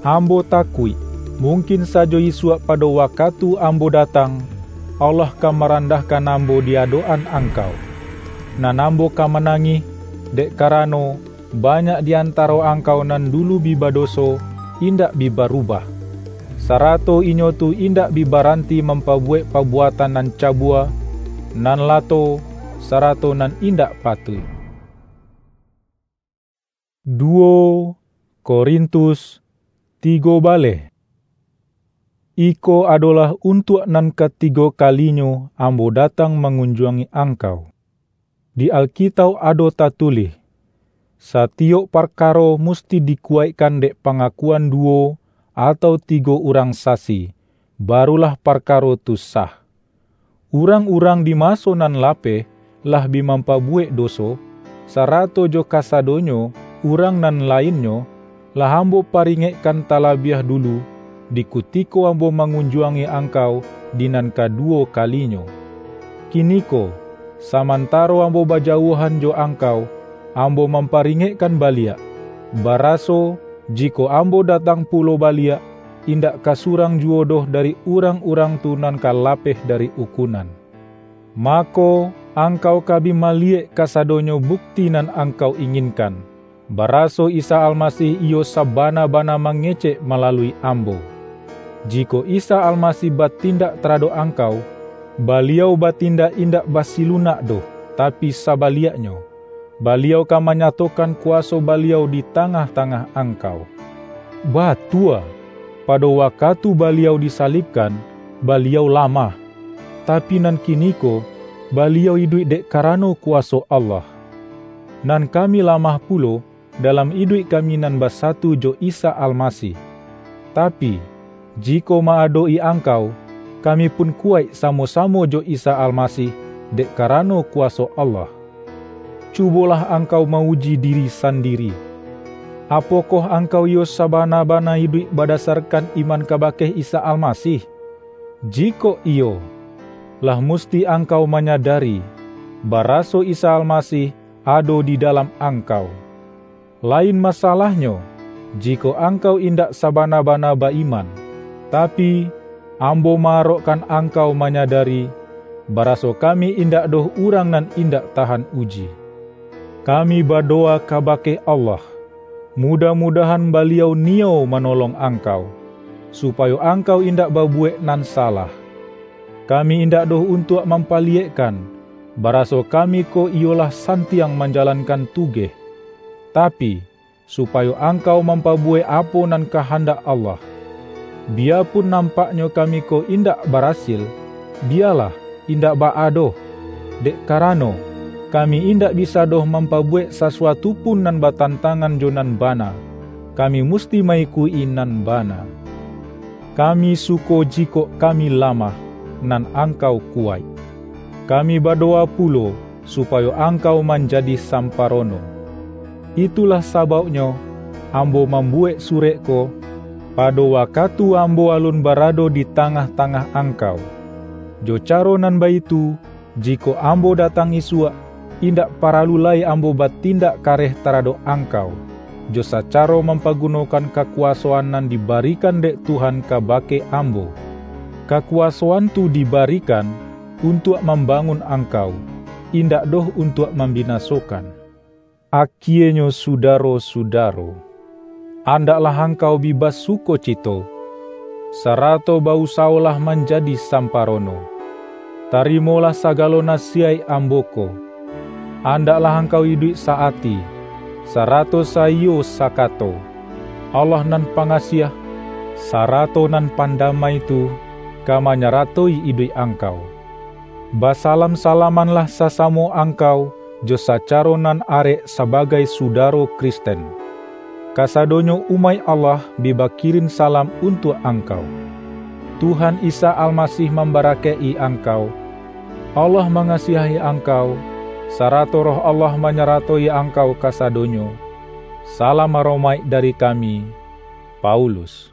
Ambo takuik, mungkin sajo isuak pado wakatu ambo datang, Allah ka marandahkan ambo di adok-an angkau, nan ambo ka manangih, dek karano, banyak di antaro angkau nan dulu bi badoso, indak bi barubah, sarato inyo tu indak bi baranti mampabuwek pabuatan nan cabua, nan lato, sarato nan indak patuik. Duo Korintus tigo baleh. Iko adolah untuak nan katigo kalinyo ambo datang mangunjuangi angkau. Di Alkitauk ado tatulih, "Satiyok parkaro musti dikuwaikkan dek pangakuan duwo atau tigo urang sasi, barulah parkaro tu sah." Urang-urang di maso nan lapeh lah bi mampabuwek doso, sarato jo kasadonyo urang nan lainnyo, lah ambo paringekkan talabiah dulu, di kutiko ambo mangunjuangi angkau di nan kaduwo kalinyo. Kiniko, samantaro ambo bajauahan jo angkau, ambo mamparingekkan baliak, baraso, jikok ambo datang pulo baliak, indak ka surang juwo doh dari urang-urang tu nan ka lapeh dari ukunan. Mako, angkau ka bi maliyek kasadonyo bukti nan angkau inginkan, baraso Isa Almasih iyo sabana-bana mangecek malalui ambo. Jikok Isa Almasih batindak taradok angkau, Baliau batindak indak basilunak doh, tapi sabaliaknyo, Baliau ka manyatokan kuwaso Baliau di tangah-tangah angkau. Batua, pado wakatu Baliau disalibkan, Baliau lamah, tapi nan kiniko, Baliau iduik dek karano kuwaso Allah. Nan kami lamah pulo, dalam iduik kami nan basatu jo Isa Almasih. Tapi, jikok ma-adok-i angkau, kami pun kuwaik samo-samo jo Isa Almasih, dek karano kuwaso Allah. Cubolah angkau ma-uji diri sandiri. Apokoh angkau iyo sabana-bana iduik badasarkan iman kabake Isa Almasih? Jikok iyo, lah musti angkau manyadari, baraso Isa Almasih ado di dalam angkau. Lain masalahnyo, jikok angkau indak sabana-bana ba-iman. Tapi, ambo ma-arokkan angkau manyadari, baraso kami indak doh urang nan indak tahan uji. Kami badowa kabake Allah, mudah-mudahan Baliau niyo manolong angkau, supayo angkau indak babuwek nan salah. Kami indak doh untuak mampaliyekkan, baraso kami ko iyolah santiang manjalankan tugeh, tapi, supayo angkau mampabuwek apo nan kahandak Allah. Biyapun nampaknyo kami ko indak barasil, biyalah, indak baa doh, dek karano, kami indak bisa doh mampabuwek sasuatu pun nan batantangan jo nan bana, kami musti ma-ikuik-i nan bana. Kami suko jikok kami lamah, nan angkau kuwaik. Kami badowa pulo, supayo angkau manjadi samparono. Itulah sabauknyo, ambo mambuwek surek ko, pado wakatu ambo alun barado di tangah-tangah angkau. Jo caro nan baitu, jikok ambo datang isuak, indak paralu lai ambo batindak kareh taradok angkau, jo sacaro mampagunokan kakuwasoan nan dibarikan dek Tuhan kabake ambo. Kakuwasoan tu dibarikan untuak mambangun angkau, indak doh untuak mambinasokan. Akienyo, sudaro-sudaro, andaklah angkau bi basukocito, sarato ba-usawolah manjadi samparono. Tarimolah sagalo nasiyaik ambo ko. Andaklah angkau iduik sa-ati, sarato saiyo sakato. Allah nan pangasiah, sarato nan pandamai tu, ka manyaratoi iduik angkau. Basalam-salamanlah sasamo angkau jo sacaro nan arek sabagai sudaro Kristen. Kasadonyo umaik Allah bi bakirin salam untuak angkau. Tuhan Isa Almasih mambarakaik-i angkau. Allah mangasiahi angkau, sarato Roh Allah manyaratoi angkau kasadonyo. Salam aromaik dari kami, Paulus.